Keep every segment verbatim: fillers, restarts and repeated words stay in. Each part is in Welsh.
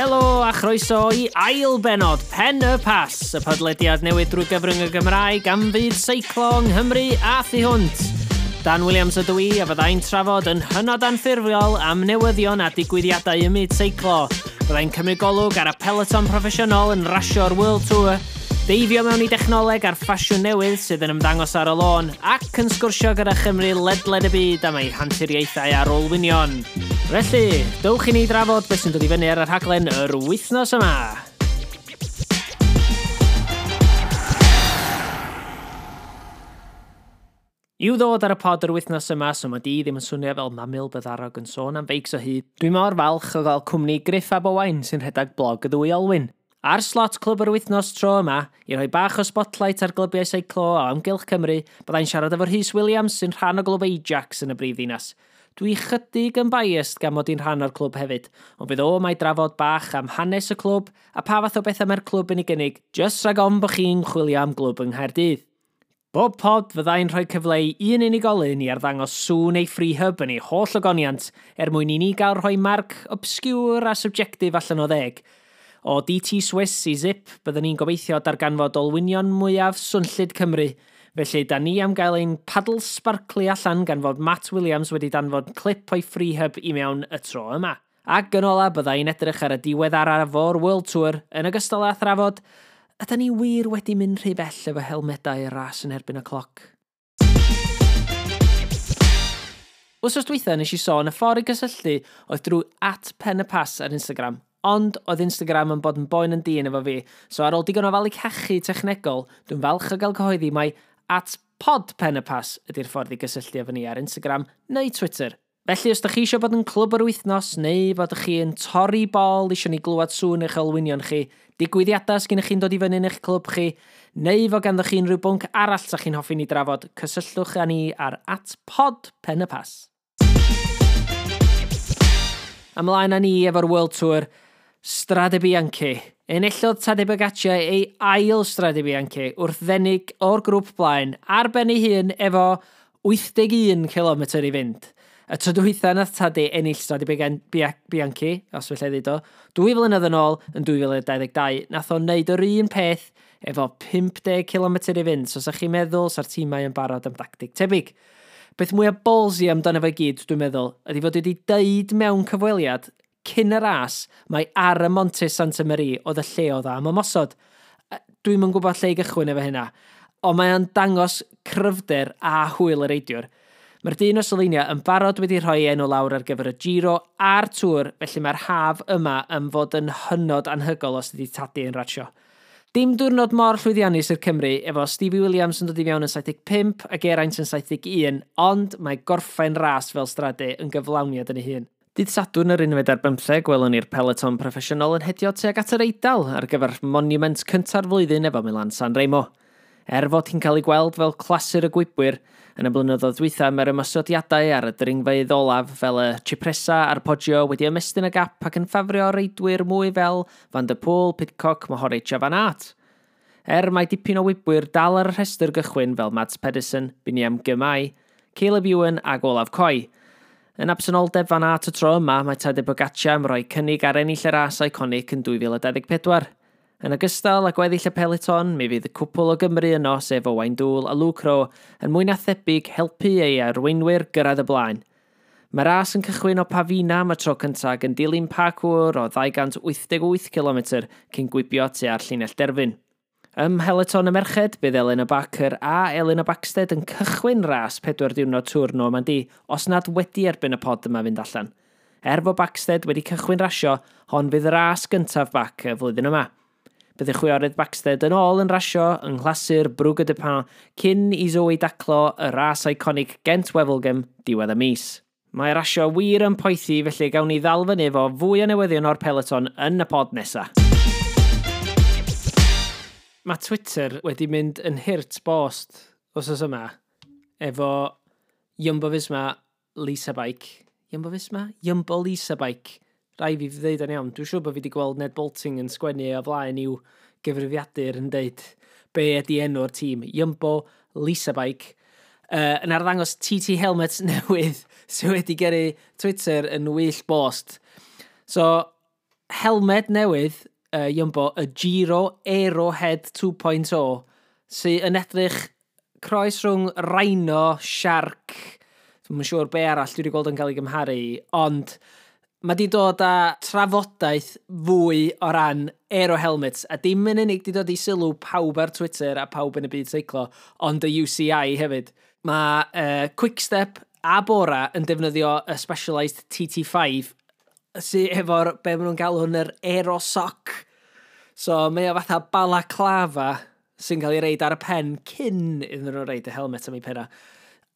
Helo a chroeso i ail benod Pen y Pass, y podlediad newydd drwy gyfrwng y Gymraeg am fyd seiclo yng Nghymru a thu hwnt. Dan Williams ydw i a fyddai'n trafod yn hynod anffurfiol am newyddion a digwyddiadau ym myd seiclo. Byddai'n cymryd golwg ar y peloton proffesiynol yn rasio'r World Tour, deifio mewn i dechnoleg a'r ffasiwn newydd sydd yn ymddangos ar y lôn, ac yn sgwrsio gyda Chymru ledled y byd am ei hanturiaethau ar olwynion. Felly, dowch i ni drafod beth sy'n dod i fyny ar y rhaglen yr wythnos yma. I'w ddod ar y pod yr wythnos yma, so mae di ddim yn swnio fel mamil byddarog yn sôn am feics o hyd. Dwi mor falch o gael cwmni Griff ab Owain sy'n rhedeg blog y ddwy olwyn. Ar slot clwb yr wythnos tro yma, i roi bach o spotlight ar glybiau seiclo o amgylch Cymru, byddai'n siarad efo Rhys Williams sy'n rhan o glwb Ajax yn y brifddinas. Dwi chydig yn biased gan mod i'n rhan o'r clwb hefyd, ond fydd o mae drafod bach am hanes y clwb a pa fath o bethau mae'r clwb yn ei gynnig, jyst rhag ofn bod chi'n chwilio am glwb yng Nghaerdydd. Bob pod fyddai'n rhoi cyfle i un unigolyn i arddangos sŵn ei freehub yn ei holl ogoniant er mwyn i ni gael rhoi marc obscure a subjective allan o ddeg. O D T Swiss i Zip, byddwn ni'n gobeithio darganfod olwynion mwyaf swnllyd Cymru. Felly, da ni am gael ein paddle sparkly allan gan fod Matt Williams wedi danfod clip o'i freehub i mewn y tro yma. Ac yn ola, byddai'n edrych ar y diweddaraf o'r World Tour yn ogystal â thrafod ydan ni wir wedi mynd rhy bell efo helmedau y ras yn erbyn y cloc. Wsos dwytha nes i sôn y ffordd i gysylltu oedd drwy at Pen y Pass ar Instagram, ond oedd Instagram yn bod yn boen yn dyn efo fi, so ar ôl digon o falu cachu technegol, dwi'n falch o gael cyhoeddi mai at pod Pen y Pass ydy'r ffordd i gysylltu efo ni ar Instagram neu Twitter. Felly, os ydych chi eisiau bod yn clwb yr wythnos, neu bod chi yn torri bol eisiau ni glywed sŵn eich olwynion chi, digwyddiadau sgynnych chi'n dod i fyny yn eich clwb chi, neu fod ganddoch chi unrhyw bwnc arall sa chi'n hoffi ni drafod, cysylltwch â ni ar at pod Pen y Pass. Ymlaen â ni efo'r World Tour, Strade Bianche. Enillodd Tadej Pogacar ei ail Strade Bianche wrth ddenig o'r grŵp blaen ar ben ei hun efo wyth deg un kilometr i fynd. Y tro dwytha nath Tadej ennill Strade Bianche, os felly ddeud o, dwy flynedd yn ôl yn dwy fil dau ddeg dau, nath o wneud yr un peth efo pump deg kilometr i fynd, so sa chi'n meddwl sa'r tîmau yn barod am dactig tebyg. Beth mwyaf ballsy amdano fe gyd, dwi'n meddwl, ydy fod wedi deud mewn cyfweliad cyn y ras, mae ar y Monte Santa Maria oedd y lle oedd am ymosod. Dwi'm yn gwybod lle i gychwyn efo hynna, ond mae o'n dangos cryfder a hwyl y reidiwr. Mae'r dyn o Slovenia yn barod wedi rhoi enw lawr ar gyfer y Giro a'r Tour, felly mae'r haf yma yn fod yn hynod anhygol os ydy Tadej yn rasio. Dim diwrnod mor llwyddiannus i'r Cymru, efo Stevie Williams yn dod i fewn yn saith deg pump a Geraint yn saith deg un, ond mae gorffen ras fel Strade yn gyflawniad yn ei hun. Dydd Sadwrn yr unfed ar bymtheg, gwelwn ni'r peloton proffesiynol yn hedio tuag at yr Eidal ar gyfer monument cynta'r flwyddyn efo Milan San Remo. Er fod hi'n cael ei gweld fel clasur y gwibwyr, yn y blynyddoedd dwytha mae'r ymosodiadau ar y dringfeydd olaf fel y Cipressa a'r Poggio wedi ymestyn y gap ac yn ffafrio reidwyr mwy fel Van der Poel, Pidcock, Mohoric a Van Aert. Er mae dipyn o wibwyr dal ar y rhestr gychwyn fel Mads Pedersen, Biniam Girmay, Caleb Ewan ac Olaf Kooij. Yn absenoldeb Van Aert y tro yma, mae Tadej Pogacar am roi cynnig ar ennill y ras iconic yn dwy fil dau ddeg pedwar. Yn ogystal â gweddill y peloton, mi fydd y cwpl o Gymru yno, sef Owain Doull a Luke Rowe, yn mwy na thebyg helpu ei arweinwyr gyrraedd y blaen. Mae'r ras yn cychwyn o Pavina am y tro cyntaf yn dilyn parkour o ddau gant wyth deg wyth kilometr cyn gwibio tua'r llinell derfyn. Ym mheloton y merched, bydd Elena Barker a Elena Backstedt yn cychwyn ras pedwar diwrnod Tour Normandy, os nad wedi erbyn y pod yma fynd allan. Er fod Backstedt wedi cychwyn rasio, hon fydd ras gyntaf Back y flwyddyn yma. Bydd y chwiorydd Backstedt yn ôl yn rasio yng nghlasur Brugge de Pin cyn i Zoe daclo y ras iconic Gent Wevelgem diwedd y mis. Mae rasio wir yn poethi, felly gawn ni ddal fyny efo fwy o newyddion o'r peloton yn y pod nesa. Mae Twitter wedi mynd yn hurt bost wsos yma efo Jumbo Visma Lisa Bike. Jumbo Visma? Jumbo Lisa Bike. Rai fi ddeud yn iawn. Dwi'n siŵr bod fi wedi gweld Ned Bolting yn sgwennu o flaen i'w gyfrifiadur yn deud be ydi enw'r tîm. Jumbo Lisa Bike. Uh, yn arddangos T T Helmets newydd sydd wedi gyrru Twitter yn wyll bost. So, Helmed newydd, uh, Jumbo, y Giro Aerohead dau pwynt dim, sy'n yn edrych croes rhwng Rhino, Shark, dwi'n siŵr be arall dwi wedi gweld yn cael ei gymharu, ond mae di dod â trafodaeth fwy o ran aero helmets, a dim yn unig di dod i sylw pawb ar Twitter a pawb yn y byd seiclo, ond y U C I hefyd. Mae uh, Quickstep a Bora yn defnyddio y Specialized T T five sydd efo'r, be maen nhw'n galw hwn, yr Aerosock. So mae o fatha balaclava sy'n cael ei roid ar y pen cyn iddyn nhw roid y helmet am ei penna.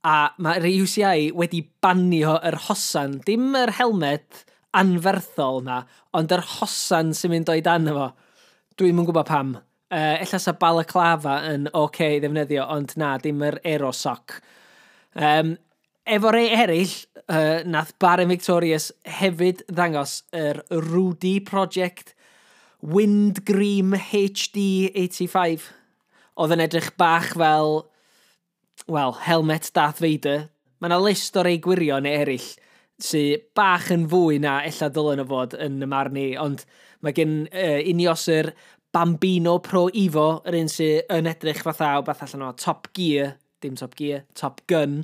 A mae'r U C I wedi banio yr hosan, dim yr helmet anferthol na, ond yr hosan sy'n mynd o'i dan efo. Dwi'm yn gwybod pam. Uh, ella sa balaclava yn oce okay i ddefnyddio, ond na, dim yr Aerosock. Um, efo rei eraill, uh, nath Bahrain Victorious hefyd ddangos yr Rudy Project Windgream H D wyth deg pump. Oedd yn edrych bach fel, well, helmet Darth Vader. Mae yna list o rei gwirion neu eraill sydd bach yn fwy na ella dylen nhw fod yn y marn i, ond mae gen uh, Ineos yr Bambino Pro Evo, yr un sydd yn edrych fatha o beth allan o Top Gear, dim Top Gear, Top Gun.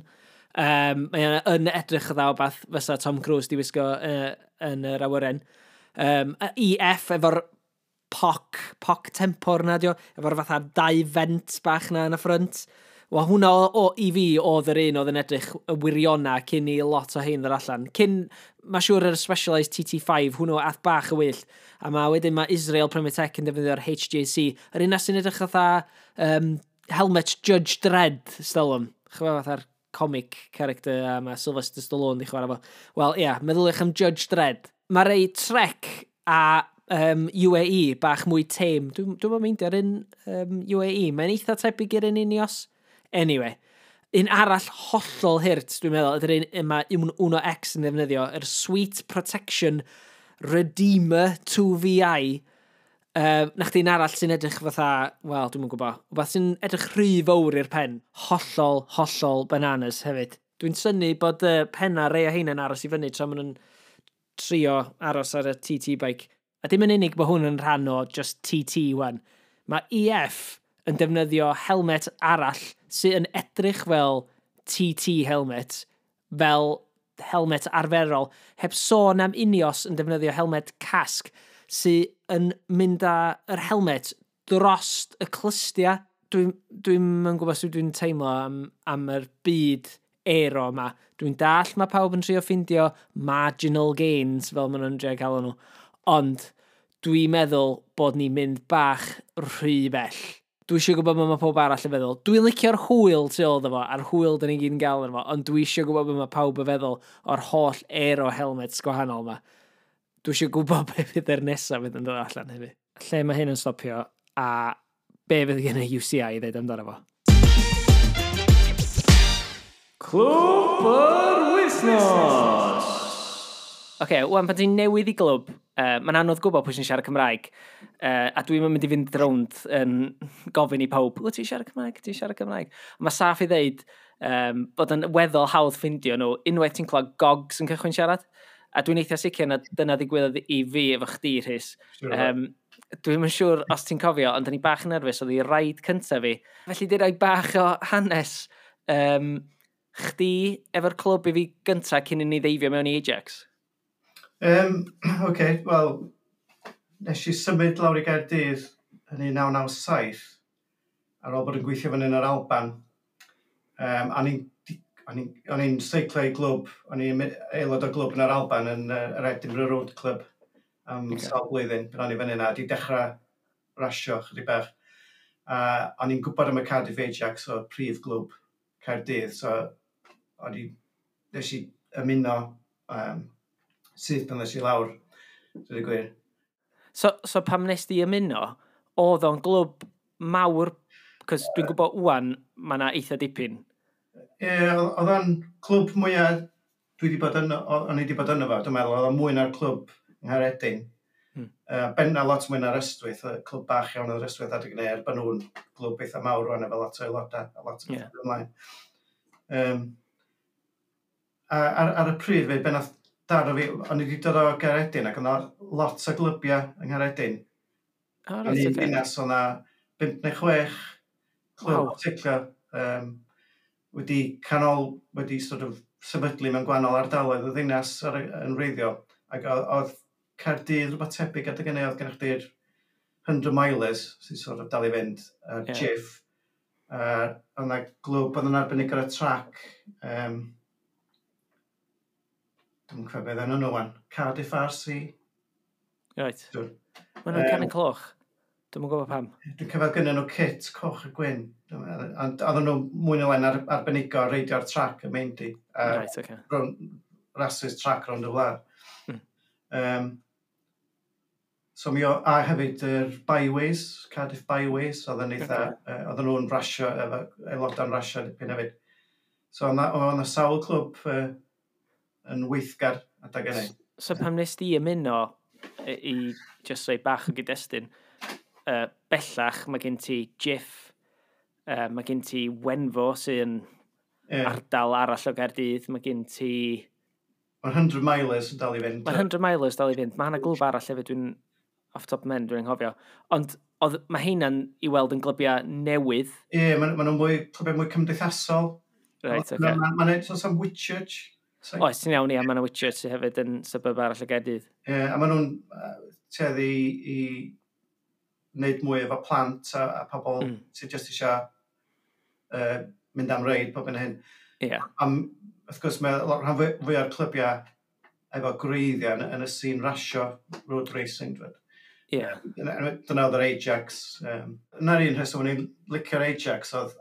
Um, mae yn edrych fatha o beth fysa Tom Cruise di wisgo uh, yn yr awyren. Um, E F efo'r P O C, P O C Tempor na dio, efo'r fatha dau vent bach na yn y ffrynt. Wel, hwnna o, o, i fi oedd yr un oedd yn edrych y wiriona cyn i lot o hein ddod allan. Cyn, mae siŵr yr Specialized T T five, hwnnw ath bach y wyll. A mae wedyn mae Israel Premier Tech yn defnyddio'r H J C. Yr un sy'n edrych fatha um, helmet Judge Dredd, stelwm. Chwa fatha'r comic character a mae Sylvester Stallone di chwarae fo. Wel, ie, yeah, meddyliwch am Judge Dredd. Mae rei Trek a um, U A E bach mwy tame. Dwi'n dwi meindio ar un um, U A E. Mae'n eitha tebyg i'r un Ineos. Anyway, un arall hollol hurt, dwi'n meddwl, ydy'r un yma Uno X yn ddefnyddio, yr Sweet Protection Redeemer dau V I. Uh, na chdi'n arall sy'n edrych fatha, wel, dwi'n gwybod, wbeth sy'n edrych rhy fawr i'r pen. Hollol, hollol bananas hefyd. Dwi'n synnu bod y uh, penna rei o heina'n aros i fyny tra maen nhw'n trio aros ar y T T bike. A dim yn unig bod hwn yn rhan o just T T wan. Mae E F yn defnyddio helmet arall sydd yn edrych fel T T helmet, fel helmet arferol, heb sôn am Ineos yn defnyddio helmet casg sydd yn mynd â yr helmet drost y clustia. Dwi'n dwi yn gwybod sut dwi'n teimlo am, am yr byd aero yma. Dwi'n dall mae pawb yn trio ffindio marginal gains, fel maen nhw'n trio cael nhw. Ond dwi'n meddwl bod ni'n mynd bach rhy bell. Dwi eisiau gwybod beth mae pawb arall yn feddwl. Dwi'n licio'r hwyl tu ôl iddo fo, a'r hwyl dyn ni gyd yn gael yno fo, ond dwi eisiau gwybod beth mae pawb yn feddwl o'r holl aero helmets gwahanol yma. Dwi eisiau gwybod beth fydd yr nesaf fydd yn dod allan hefyd. Lle mae hyn yn stopio a be fydd gen y U C I i ddeud amdano fo. Clwb yr Wythnos! Oce, okay, wan pan ti'n newydd i glwb, uh, mae'n anodd gwybod pwy sy'n siarad Cymraeg. Uh, a dwi'n mynd i fynd rownd yn gofyn i pawb, "Wyt ti'n siarad Cymraeg? Ti'n siarad Cymraeg?" Mae saff i ddeud um, bod yn weddol hawdd ffindio nhw unwaith ti'n clywed gogs yn cychwyn siarad. A dwi'n eitha sicr na dyna ddigwyddodd i fi efo chdi, Rhys. Um, dwi'n yn siŵr os ti'n cofio, ond o'n i bach yn nerfus, oedd i ride cyntaf fi. Felly di roi bach o hanes um, chdi efo'r clwb i fi gyntaf cyn i ni ddeifio mewn i Ajax. Um, Oce, okay, wel, nes i symud lawr i Gaerdydd yn un naw naw saith ar ôl bod yn gweithio fan yn yr Alban. Um, a ni'n o'n i'n seiclo i glwb, o'n i'n aelod o glwb yn yr Alban yn uh, yr Edinburgh Road Club am okay. sawl blwyddyn, pan o'n i fyny yna, di dechrau rasio chydig bach. A o'n i'n gwybod am y Cardiff Ajax, o prif glwb Caerdydd, so o'n i, nes i ymuno um, syth pan nes i lawr, dwi'n gwir. So, so pam nes di ymuno, oedd o'n glwb mawr, cos dwi'n gwybod wwan, mae yna eitha dipyn. Ie, yeah, oedd o'n clwb mwyaf dwi wedi bod yno, o'n i wedi bod yno fo, dwi'n meddwl, oedd o'n mwy na'r clwb yng Nghaeredin. Hmm. Uh, benna lot mwy na'r Ystwyth, y clwb bach iawn oedd yr Ystwyth adeg yna, er bod nhw'n glwb eitha mawr rwan efo lot o aelodau, a lot o yeah. ymlaen. Um, a ar, ar y pryd fe, be nath daro fi, o'n i wedi dod o Gaeredin ac o'na lot o glybiau yng Nghaeredin. Oh, Yn right, un okay. dinas o'na bump neu chwech clwb Waw. seiclo um, wedi canol, wedi sort of sefydlu mewn gwahanol ardaloedd y ddinas ar, y- yn wreiddiol. Ac oedd, oedd Caerdydd rhywbeth tebyg adeg hynny, oedd gennych chdi'r hundred Milers sy'n sort of dal i fynd, uh, Ie. yeah. Jiff. Uh, oedd yna glwb oedd yn arbennig ar y trac. Um, Dwi'n cofio beth enw nhw wan. Cardiff R C. Right. Dwi'n Maen nhw'n Yym. canu cloch. Dwi'm yn gwybod pam. Dwi'n cofio gynnyn nhw kit coch a gwyn. Ond oedden nhw mwy neu lai'n ar, arbenigo ar reidio'r trac y Maendy. A Right, okay. rown, rasys trac rownd y wlad. Mm. Um, so mi o, a hefyd yr Byways, Cardiff Byways, oedd yn eitha, okay. uh, oedden nhw'n rasio, efo aelodau'n rasio dipyn hefyd. So oedd yna sawl clwb uh, yn weithgar adeg hynny. So pam nes di ymuno i, i just rhoi bach o gyd-destun, uh, bellach mae gen ti Jiff, uh, mae gen ti Wenfo sy'n Yeah. ardal arall o Gaerdydd, mae gen ti... Mae'r hundred Milers yn dal i fynd. Mae'r hundred Milers dal i fynd. Mae hwnna glwb arall hefyd dwi'n off top men dwi'n anghofio. Ond oedd, mae heina'n i weld yn glybiau newydd. Ie, yeah, maen ma nhw'n mwy, clybiau mwy cymdeithasol. Right, Mae'n okay. ma, ma, so sam Whitchurch. So, Oes, ti'n iawn, ia, mae yna Whitchurch sydd hefyd yn suburb arall o Gaerdydd. Ie, a maen nhw'n uh, tueddu i, i wneud mwy efo plant a, a pobl Mm. mm. sydd jyst eisiau uh, mynd am reid, pob yn hyn. Ie. Yeah. Am, wrth gwrs, mae lot rhan fwy fwy o'r clybiau efo gwreiddiau yn, yn y sîn rasio, road racing, dweud. Ie. Yeah. Dyna dyna oedd yr Ajax. Um, Yna'r un rheswm o'n i'n licio'r Ajax oedd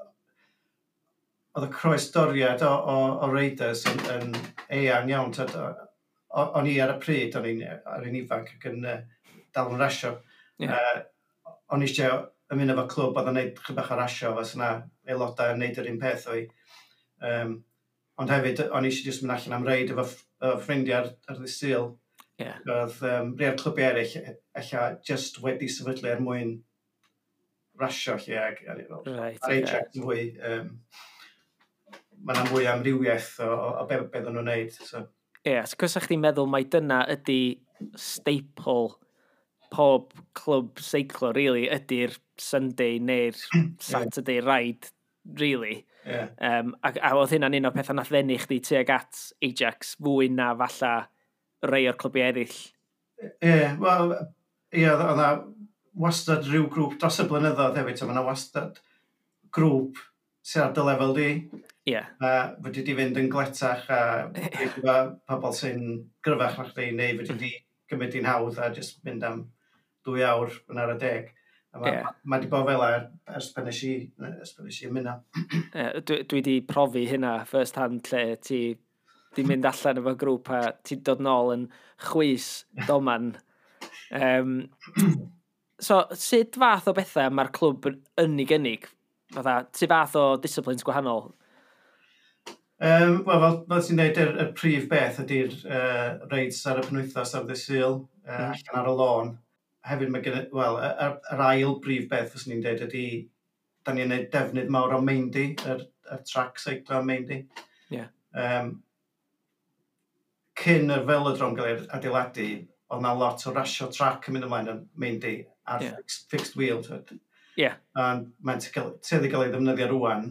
oedd y croesdoriad o, o, o raiders yn, yn eang iawn. Tyd, o- o'n i ar y pryd, o'n i'n ar un ifanc ac yn uh, dal yn rasio. Ie. Uh, o'n i eisiau ymuno efo clwb oedd yn neud chydig bach o rasio, fas yna aelodau yn neud yr un peth o'i. Um, ond hefyd, o'n i eisiau jyst mynd allan am reid efo, ff- efo ffrindiau ar, ar ddydd Sul. Ie. Oedd um, rhai o'r clybiau eraill ella just wedi sefydlu er mwyn rasio lle ag, a, fel, Right, ar okay. Ajax yn fwy, um, mae yna mwy amrywiaeth o, o, o be, be oedden nhw'n neud. So, Ie, yeah, so cos chdi'n meddwl mai dyna ydy staple pob clwb seiclo, really, ydy'r Sunday neu'r Saturday ride, really. yeah. Um, a, a oedd hynna'n un o'r pethau nath ddenu chdi tuag at Ajax fwy na falla rei o'r clybiau eraill. Ie, yeah, wel, ie, oedd oedd 'na wastad rhyw grŵp dros y blynyddoedd hefyd, so mae yna wastad grŵp sydd ar dy lefel di, Ie, yeah. a fedri di fynd yn gletach a efo pobl sy'n gryfach na chdi, neu fedri di gymryd hi'n hawdd a jyst mynd am dwy awr yn ar y deg. A mae Ie. yeah. ma di bod fel er, ers pan nes i, ers pan nes i ymuno. Yeah, dwi, dwi di profi hynna first hand lle ti di mynd allan efo grŵp a ti dod nôl yn chwys doman. Um, so, sut fath o bethau mae'r clwb yn, yn ei gynnig? Fatha, sut fath o disciplines gwahanol? Um, Wel, fel, fel ti'n dweud, yr, y prif beth ydy'r uh, reids ar y penwythnos ar ddydd Sul, uh, Mm. allan ar y lôn. Hefyd mae gen wel, y- yr, yr ail brif beth fyswn i'n dweud ydy, da ni'n gwneud defnydd mawr o Maendy, yr, yr track seiclo Maendy. Ie. Um, cyn y velodrome gael ei adeiladu, oedd na lot o rasio trac yn mynd ymlaen yn Maendy ar Ie. yeah. fixed, fixed wheel. Twyd. Ie. A mae'n tueddu gael ei ddefnyddio rwan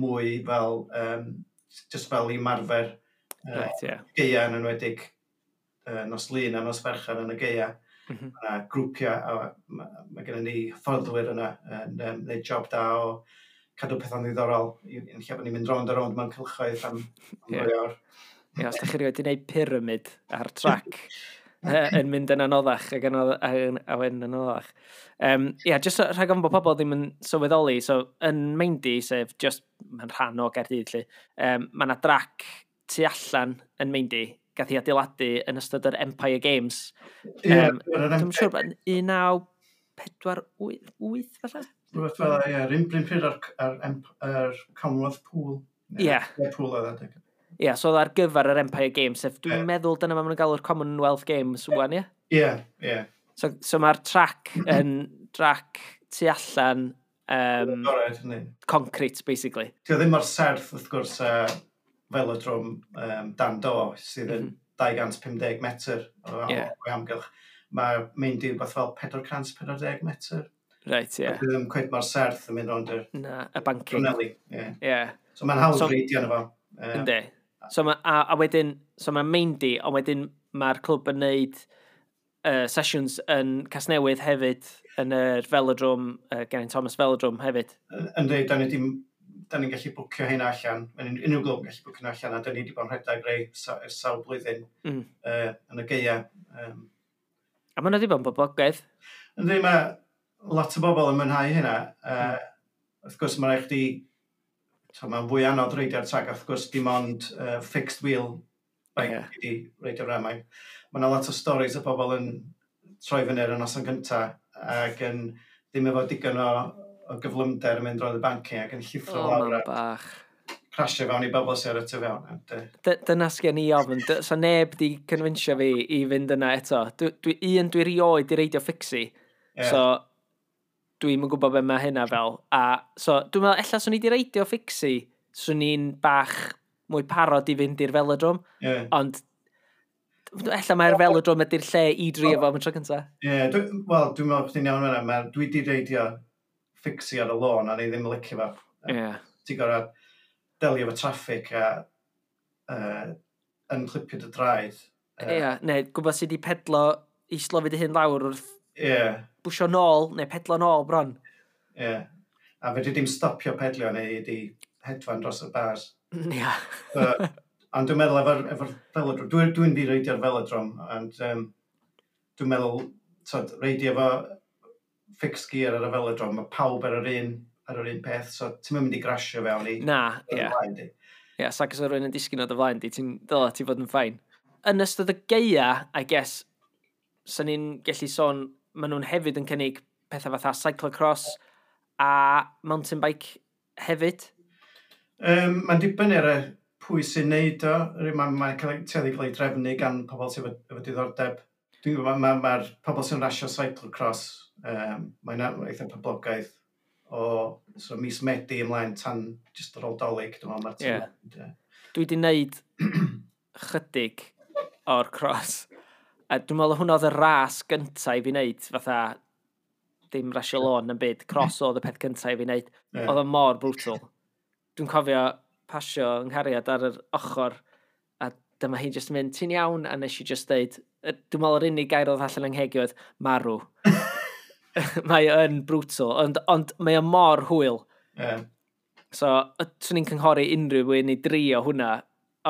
mwy fel, um, just fel i ymarfer uh, Right, ie. gaea yn enwedig uh, nos Lun a nos Fercher yn y gaea. Mm -hmm. Mae yna grwpiau, a mae ma gennym ni hyfforddwyr yna yn um, gwneud job da o cadw pethau'n ddiddorol i- yn lle bod ni'n mynd rownd a rownd mewn cylchoedd am, am Ie. ddwy awr. Ie, os da chi rioed wedi gwneud pyramid ar trac yy, yn mynd yn anoddach ac yn anodd- a yn a wedyn yn anoddach. Um, ie, just so- rhag ofn bod pobl ddim yn sylweddoli, so yn Maendy, sef just, mae'n rhan o Gaerdydd, lle, um, mae yna drac tu allan yn Maendy, gath ei adeiladu yn ystod yr Empire Games. Ie, Yym, yr Dwi'n siŵr bod un naw pedwar wyth falle? Rhywbeth fel 'na, ie, yr un un pryd ar, ar, ar, ar Commonwealth Pool. Ie. Ie, pool oedd adeg. Ie, so oedd ar gyfer yr Empire Games, sef dwi'n Ie. meddwl dyna ma maen nhw'n galw'r Commonwealth Games wan, ie? Ie, ie. So, so mae'r trac yn trac tu allan um, Agored, yndi. concrete, basically. Di o ddim mor serth, wrth gwrs, uh, velodrome um, dan do, sydd yn mm -hmm. dau gant pum deg metr o, Ie. o amgylch. Mae Maendy rhywbeth fel pedwar cant pedwar deg metr. Reit, ie. Yeah. Ddim cweit mor serth yn mynd rownd y Na, y banking. corneli. Ie. Ie. So mae'n hawdd So- reidio yna fo. Yy, Yndi. So ma, a, a wedyn, so mae Maendy, ond wedyn mae'r clwb yn neud uh, sessions yn Casnewydd hefyd, yn yr Velodrome, uh, Geraint Thomas Velodrome hefyd. Yndi, da ni di, da ni'n gallu bwcio hynna allan. Mae'n unrhyw glwb yn gallu bwcio hynna allan, a da ni wedi bod yn rhedeg rei sa- ers sawl blwyddyn Mm. uh, yn y gaea. Um, A maen nhw wedi bod yn boblogaidd. Yndi, mae lot o bobl yn mwynhau hynna. Uh, wrth gwrs, mae'n rhaid chdi, so, mae'n fwy anodd reidio'r trac, wrth gwrs, dim ond uh, fixed wheel bike Ie. yeah. i reidio rhan. Mae ma yna lot o stories o bobl yn troi fyny ar y noson gynta ac yn ddim efo digon o, o gyflymder yn mynd rownd y banking ac yn llithro O, lawr man a bach. crasio fewn i bobl sy'n ar y tu fewn. And, uh, D dyna sgen i ofn. D so neb di convinsio fi i fynd yna eto. Dwi, dwi, un, dwi rioed di reidio fixie. Ie. So, dwi'n yn gwybod be mae hynna fel. A, so, dwi'n meddwl, ella swn i di reidio fixie, swn i'n bach mwy parod i fynd i'r Velodrome. yeah. Ond, ella mae'r Velodrome ydy'r lle i drio fo am y tro cynta. Ie, dwi, wel, dwi'n meddwl chdi'n iawn fan'na. Ma- Dwi di reidio fixie ar y lôn a ni ddim yn licio fo. Ie. Yeah. Ti'n gorfod delio efo traffic a uh, yn clipio dy draed. Ie, yeah, neu gwybod sydd wedi pedlo i slofi dy hun lawr wrth Ie, bwsio nôl, neu pedlo nôl bron. ie. A fedri dim stopio pedlio neu di hedfan dros y bars. Ie. So, ond dwi'n meddwl efo'r efo velodrome, dwi'n dwi di reidio'r velodrome, ond um, dwi'n meddwl, tod, reidio efo fixed gear ar y velodrome, mae pawb ar yr un, ar yr un peth, so ti'n mynd i grasio fewn i Na, i ie. flaen di. Ie, sac os o rhywun yn disgyn o dy flaen di, ti'n dyla ti fod yn fine. Yn ystod y gaea, I guess, sy'n ni'n gallu sôn, maen nhw'n hefyd yn cynnig pethau fatha cyclocross a mountain bike hefyd. Um, mae'n dibynnu ar y pwy sy'n neud o. Mae'n ma cael ei tueddu cael ei drefnu gan pobl sydd efo, efo diddordeb. Dwi'n gwybod, mae'r ma, ma pobl sy'n rasio cyclocross, um, mae'n eitha poblogaidd o so mis Medi ymlaen tan jyst ar ôl Dolig, dwi'n meddwl, mae'r Ie. tîm. Dwi wedi wneud chydig o'r cross. A dwi'n meddwl hwnna oedd y ras gyntaf i fi wneud, fatha dim rasio lôn yn byd, cross oedd y peth gyntaf i fi wneud. Ie. Oedd o mor brutal. Dwi'n cofio pasio yng nghariad ar yr ochr a dyma hi jyst yn mynd, "Ti'n iawn?" A nes i just deud, yy, dwi'n meddwl yr unig gair oedd allan yng ngheg i oedd "marw". Mae o yn brutal, ond, ond mae o mor hwyl. Ie. So, y- swn i'n cynghori unrhyw un i drio hwnna,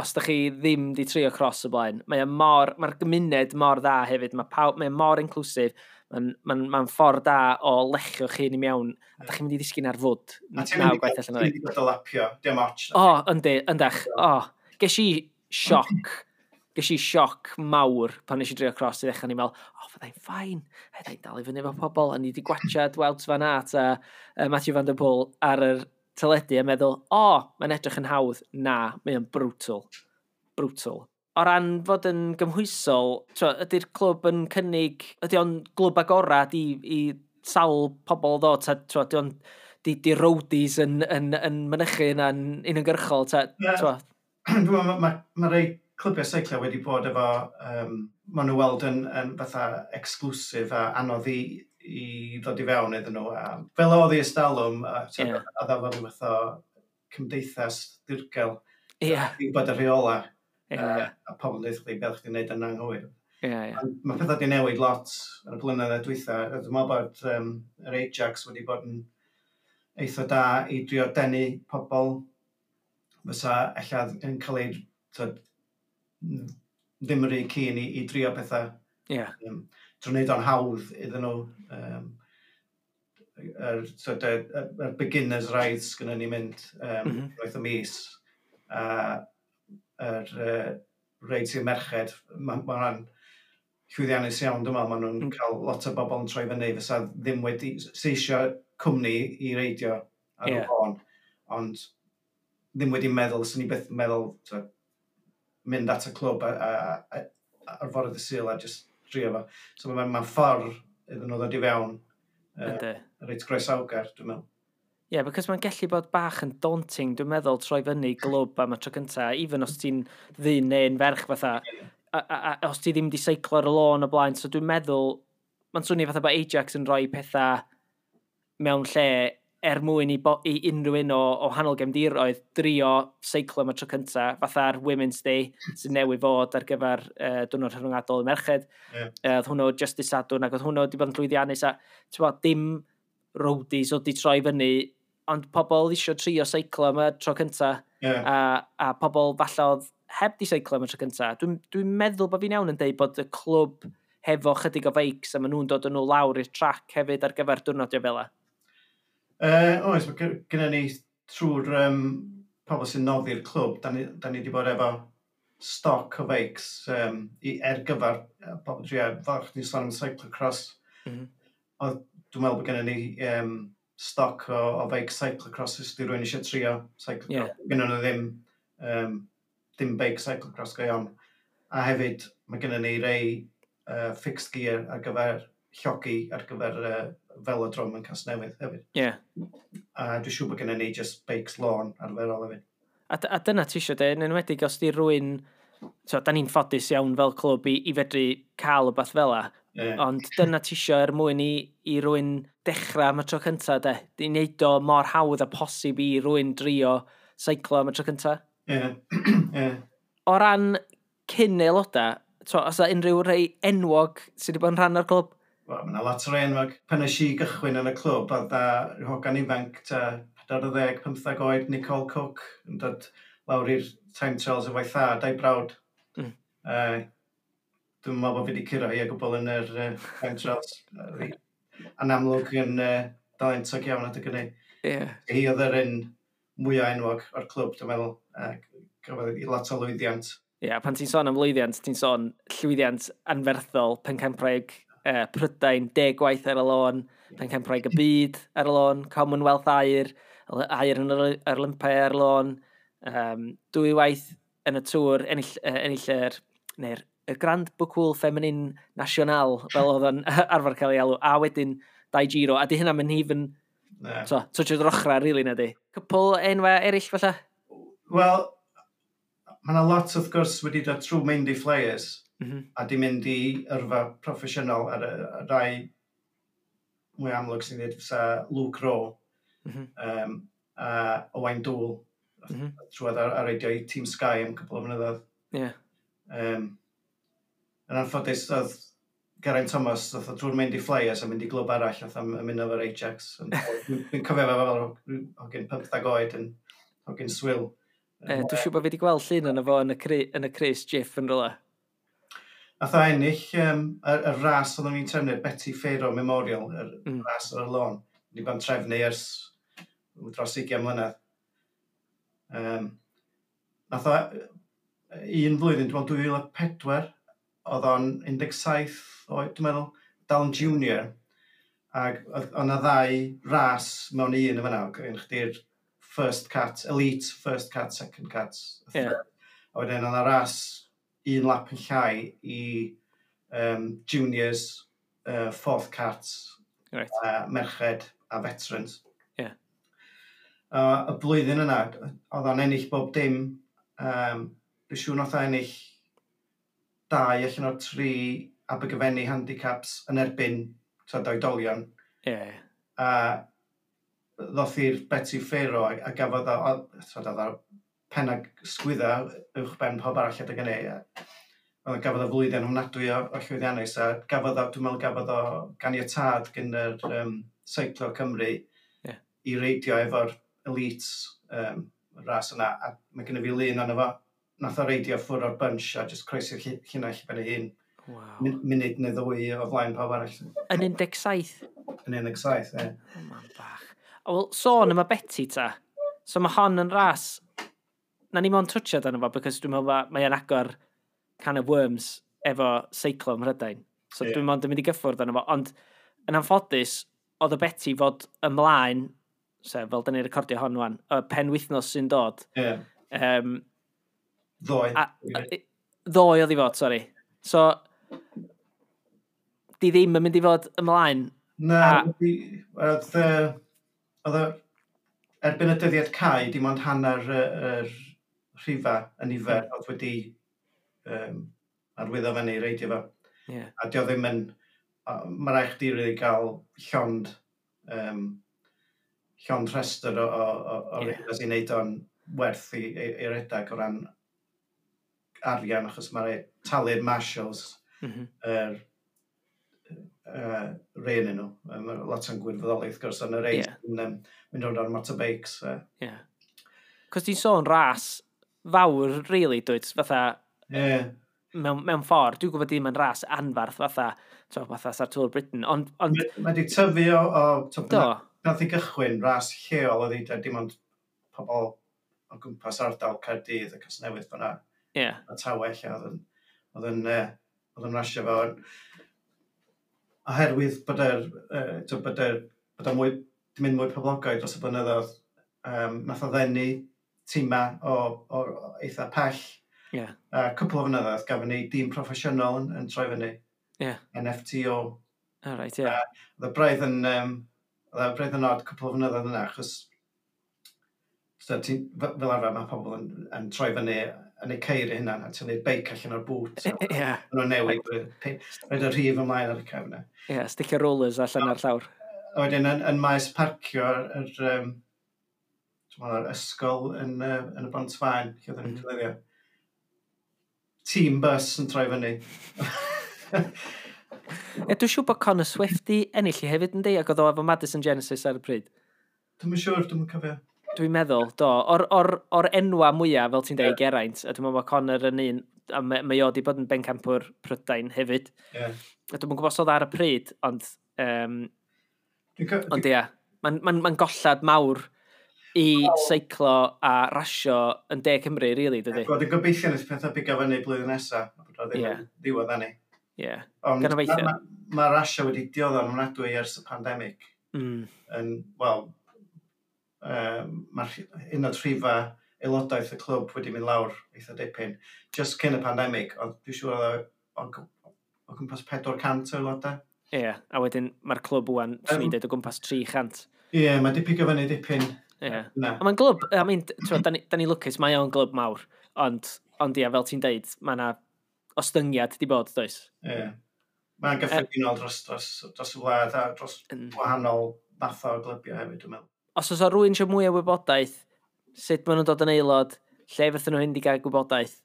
os da chi ddim di trio cross o blaen. Mae o mor, mae'r gymuned mor dda hefyd, mae, pawb, mae o mor inclusive, mae'n ma ma ffordd da o lechio chi i mewn, a da chi'n mynd i ddisgyn ar fwd. A ti'n Naw mynd i gwaith allan o ti'n ddeg. mynd i bod o lapio, dim ots. O, yndi, yndach. O, ges i sioc. Ges i sioc mawr pan nes i drio cross i ddechrau, ni'n meddwl, "O, fyddai'n fine. Fyddai'n dal i fyny efo pobl." A ni wedi gwachad Wout van Aert a uh, Mathieu van der Poel ar yr teledu a meddwl, "O, mae'n edrych yn hawdd." Na, mae'n brutal. Brutal. O ran fod yn gymhwysol, tro, ydy'r clwb yn cynnig, ydy o'n glwb agorad i, i sawl pobl ddod, ta, tro, ydy o'n di, di roadies yn, yn, yn mynychu yna'n uniongyrchol, ta, Ie. tro, Dwi'n meddwl, mae ma, ma rei clybiau seiclo wedi bod efo, um, maen nhw weld yn, yn fatha exclusive a anodd i, i ddod i fewn iddyn nhw. A fel oedd i ystalwm, a, Ie. yeah. a dda fel rhyw fath o cymdeithas dirgel, ie, i bod y rheola, ie, uh, a pobl yn dweud chdi beth chdi'n neud yn anghywir. ie, ie. Ond mae pethau wedi newid lot yn y blynyddoedd dwytha. A dwi'n meddwl bod um, yr Ajax wedi bod yn eitha da i drio denu pobl fysa ella yn cael ei tyd, ddim yr un keen i, i drio pethau Ie, um, drwy wneud o'n hawdd iddyn nhw. Um, yr, tyd, y, y, yr beginners rides gynnu ni mynd um, mm Mhm. -hmm. unwaith y mis. A yr uh, reids i'r merched, mae ma hwnna'n llwyddiannus iawn, dwi'n meddwl, maen nhw'n Mm. cael lot o bobl yn troi fyny fysa ddim wedi, sy eisiau cwmni i reidio ar Ie. y lôn, ond ddim wedi meddwl, swn i byth yn meddwl tyd, mynd at y clwb a, a, a, ar fore dydd Sul a just drio fo. So mae'n ma ffordd iddyn nhw ddod i fewn uh, yndi. reit groesawgar, dwi'n meddwl. Ie, yeah, because mae'n gallu bod bach yn daunting, dwi'n meddwl, troi fyny glwb am y tro cynta, even os ti'n ddyn neu'n ferch fatha, a, a, a, os ti ddim di seiclo ar y lôn o blaen, so dwi'n meddwl, mae'n swnio fatha bod Ajax yn rhoi pethau mewn lle er mwyn i, bo, i unrhyw un o, o wahanol gefndiroedd drio seiclo am y tro cynta, fatha'r Women's Day sy'n newydd fod ar gyfer uh, Diwrnod Rhyngwladol y Merched. Ie. Uh, oedd hwnnw just dydd Sadwrn ac oedd hwnnw wedi bod yn llwyddiannus a ti'n bod, dim roadies oedd di troi fyny, ond pobl eisiau trio seiclo am y tro cynta Ie. a, a pobl falle oedd heb di seiclo am y tro cynta. Dwi'n dwi meddwl bod fi'n iawn yn deud bod y clwb hefo chydig o feics a maen nhw'n dod yn nhw lawr i'r trac hefyd ar gyfer diwrnodiau fel 'a. Uh, oes, mae gennym ni trwy'r um, pobl sy'n noddi'r clwb, da ni, da ni wedi bod efo stoc o feics um, i, er gyfer uh, pobl drio, fel chdi'n sôn am cyclocross. Mm -hmm. Oedd, dwi'n meddwl bod gennym ni um, stoc o, o feics cyclocross os di rhywun eisiau trio cyclocross. Ie. Gynnon nhw ddim, um, dim beic cyclocross go iawn. A hefyd, mae gennym ni rei uh, fixed gear ar gyfer llogi, ar gyfer uh, velodrome yn Casnewydd hefyd. Ie. Yeah. A dwi'n siŵr bod gennym ni just beics lôn arferol hefyd. A, a dyna ti eisiau de, yn enwedig os di rhywun, so, da ni'n ffodus iawn fel clwb i, i fedru cael y beth fel 'a, Ie. ond dyna ti eisiau er mwyn i, i rywun dechrau am y tro cynta, de. Di wneud o mor hawdd a posib i rywun drio seiclo am y tro cynta. Ie. Ie. O ran cyn aelodau, to, os yna unrhyw rei enwog sydd wedi bod yn rhan o'r clwb? Wel, mae yna lot o'r enwog. Pan nes i gychwyn yn y clwb, oedd na rhyw hogan ifanc, ta pedwar deg, pymtheg oed, Nicole Cook, yn dod lawr i'r time trials efo'i thad a'i brawd. Mm. Uh, dwi'n meddwl bod fi wedi curo hi o gwbl yn yr uh, time trials. Yy, Yn amlwg yn uh, dalentog iawn adeg hynny. Ie. Yeah. Hi oedd yr un mwyaf enwog o'r clwb, dwi'n meddwl. Uh, gafodd hi lot o lwyddiant. Ie, yeah, pan ti'n sôn am lwyddiant, ti'n sôn llwyddiant anferthol, pencampwraig uh, Prydain, deg gwaith ar y lôn, pencampwraig y byd ar y lôn, Commonwealth aur, aur yn yr yr Olympau ar y lôn, um, dwy waith yn y tŵr, ennill, uh, ennill yr, neu'r y Grand Boucle Féminin National, fel oedd o'n arfer cael ei alw, a wedyn dau Giro, a di hynna mynd even, Na. so, touch o'r ochrau, really, na di. Cwpl enwau eraill, falle? Wel, mae yna lot wrth gwrs wedi dod trwy Maindy Flyers Mm -hmm. a di mynd i yrfa proffesiynol ar y y rai mwy amlwg sy'n dweud fysa Luke Rowe Mm -hmm. um, a Owain Doull Mm -hmm. trwad ar, ar reidio i Team Sky am cwpl o flynyddoedd. Ie. Um, yn anffodus, oedd Geraint Thomas, oedd o drwy'r Maindy Flyers a mynd i glwb arall, oedd am ymuno efo'r Ajax. Ond Dwi'n dwi'n cofio fe fel hogyn pymtheg oed yn hogyn swil. E, dwi'n siŵr bod fi wedi gweld llun yna fo yn y, cri, yn y crys Jiff yn rhywle. Nath o ennill um, y, y ras oedden ni'n trefnu, Betty Pharaoh Memorial, y Mm. mm. ras ar y lôn. Ni bod yn trefnu ers dros ugain mlynedd. Um, nath o un flwyddyn, dwi'n meddwl dwy fil a pedwar, oedd o'n un deg saith oed, dwi'n meddwl, dal yn junior, ac oedd oedd 'na ddau ras mewn un yn fan'na, oedd chdi'r first cat, elite, first cat, second cat. Ie. A wedyn oedd 'na ras un lap yn llai i um, juniors, uh, fourth cat, Right. uh, merched a veterans. Ie. Uh, y blwyddyn yna, oedd o'n ennill bob dim. Um, dwi'n siŵr nath o ennill dau allan o'r tri Abergavenny handicaps yn erbyn t'od, oedolion. Ie. A ddoth i'r Betty Pharaoh a, a gafodd o, o- t'od, oedd o pen ag sgwydda uwch ben pob arall adeg hynny. a Oedd gafodd o flwyddyn ofnadwy o, o llwyddiannus a gafodd o, dwi'n meddwl gafodd o ganiatâd gan yr um, Seiclo Cymru Ie. i reidio efo'r elites um, y ras yna, a mae gennym fi lun ono fo. Nath o reidio ffwrdd o'r bunch a just croesi'r lli- llinell ben ei hun. Wow. Min- Munud neu ddwy o flaen pawb arall. Yn un deg saith? Yn un deg saith, ie. O, man bach. Wel, sôn am y Betty ta. So mae hon yn ras... Na ni mo'n twtio dan fo, because dwi'n meddwl ma- mae o'n agor can of worms efo seiclo ym Mhrydain. So Ie. dwi'n mond yn mynd i gyffwrdd arno fo. Ond yn anffodus, oedd y Betty fod ymlaen, sef fel dyn ni'n recordio hon wan, y pen wythnos sy'n dod. Ie. Um, Ddoe. a, a, ddoe oedd i fod, sori. So, di ddim yn mynd i fod ymlaen. Na, A- wedi- oedd, yy, oedd o, erbyn y dyddiad cau, dim ond hanner y, yr rhifa y nifer oedd wedi um, arwyddo fyny i reidio fo. Yeah. A dio ddim yn... Mae rhaid chdi really gael llond, um, llond rhestr o, o, o, o Ie. yeah. i wneud o'n werth i, i, i redag o ran arian, achos mae rhaid talu'r marshals, Mm -hmm. yr uh, rei yn nhw. Mae lot o'n gwirfoddoli, wrth gwrs, ond y rei Ie. yn um, mynd rownd ar motorbikes. Ie. Yeah. Cos ti'n sôn ras fawr, really, dwyt, fatha, Yeah. mewn, mewn ffordd, dwi'n gwybod ddim yn ras anfarth fatha, to, fatha sa'r Tour Britain, ond, ond Mae wedi tyfu o, o to, do, nath i gychwyn ras lleol oedd hi, dim ond pobl o gwmpas ardal Caerdydd a Casnewydd fyna. ie, A Tawe lle oedd yn, oedd yn, uh, oedd yn rasio fo. Oherwydd bod yr, uh, to, bod yr, bod o mwy, di mynd mwy poblogaidd dros y blynyddoedd, um, nath o ddenu tîma o, o, o eitha pell. ie, A cwpl o flynyddoedd gafon ni dîm proffesiynol yn, yn troi fyny. Ie. N F T O. all right, ie. Oedd y braidd yn, um, oedd y braidd yn odd cwpl o flynyddoedd yna, achos so, ti, fel fel arfer mae pobl yn, yn troi fyny yn eu ceir eu hunan a tynnu'r beic allan o'r bŵt. So, Ie, maen nhw'n newid, rhaid y rhif ymlaen ar y cefn. ie, sticio rollers allan ar llawr. A wedyn yn, yn maes parcio yr, um, yr ysgol yn, uh, yn y Bont Faen, lle oedden ni'n Mhm. defnyddio. Team bus yn troi fyny. E, dwi'n siŵr bod Connor Swift di ennill i hefyd yndi, ac oedd o efo Madison Genesis ar y pryd. Dwi'm yn siŵr, dwi'm yn cofio. Dwi'n meddwl, do, o'r, or, or enwa mwyaf, fel ti'n deud, Geraint, a dwi'n meddwl bod Connor yn un, a mae, mae o di bod yn bencampwr Prydain hefyd. Ie. A dwi'm yn gwybod os oedd ar y pryd, ond, um, Dwi'n co- ond ia, mae'n ma, ma gollad mawr i seiclo a rasio yn De Cymru, really, dydy? Wel, dwi'n gobeithio nes pethau bigo fyny blwyddyn nesaf, bod o ddim Ie. yn ddiwedd ani. Ie. Ond Gan obeithio. ma, ma, ma rasio wedi dioddef yn ofnadwy ers y pandemig. Mm. Yn, wel, uh, mae'r un o'r rhifa aelodaeth y clwb wedi mynd lawr eitha dipyn. Just cyn y pandemig, ond dwi'n siŵr oedd o, o, o gwmpas pedwar cant o aelodau. Ie, a wedyn mae'r clwb wan, swn i'n Yym. deud, o gwmpas tri chant. Ie, yeah, mae di pigo fyny dipyn. Ie. Na. A mae'n glwb, I mean, t'wod, da ni, da ni lwcus, mae o'n glwb mawr, ond, ond ia, fel ti'n deud, mae yna ostyngiad di bod, does? Ie. Yeah. Mae'n gyffredinol dros, dros, dros y wlad a dros Mm. wahanol fathau o glybiau hefyd, dwi'n meddwl. Os oes o rywun eisiau mwy o wybodaeth, sut maen nhw'n dod yn aelod, lle fyddwn nhw mynd i gael gwybodaeth,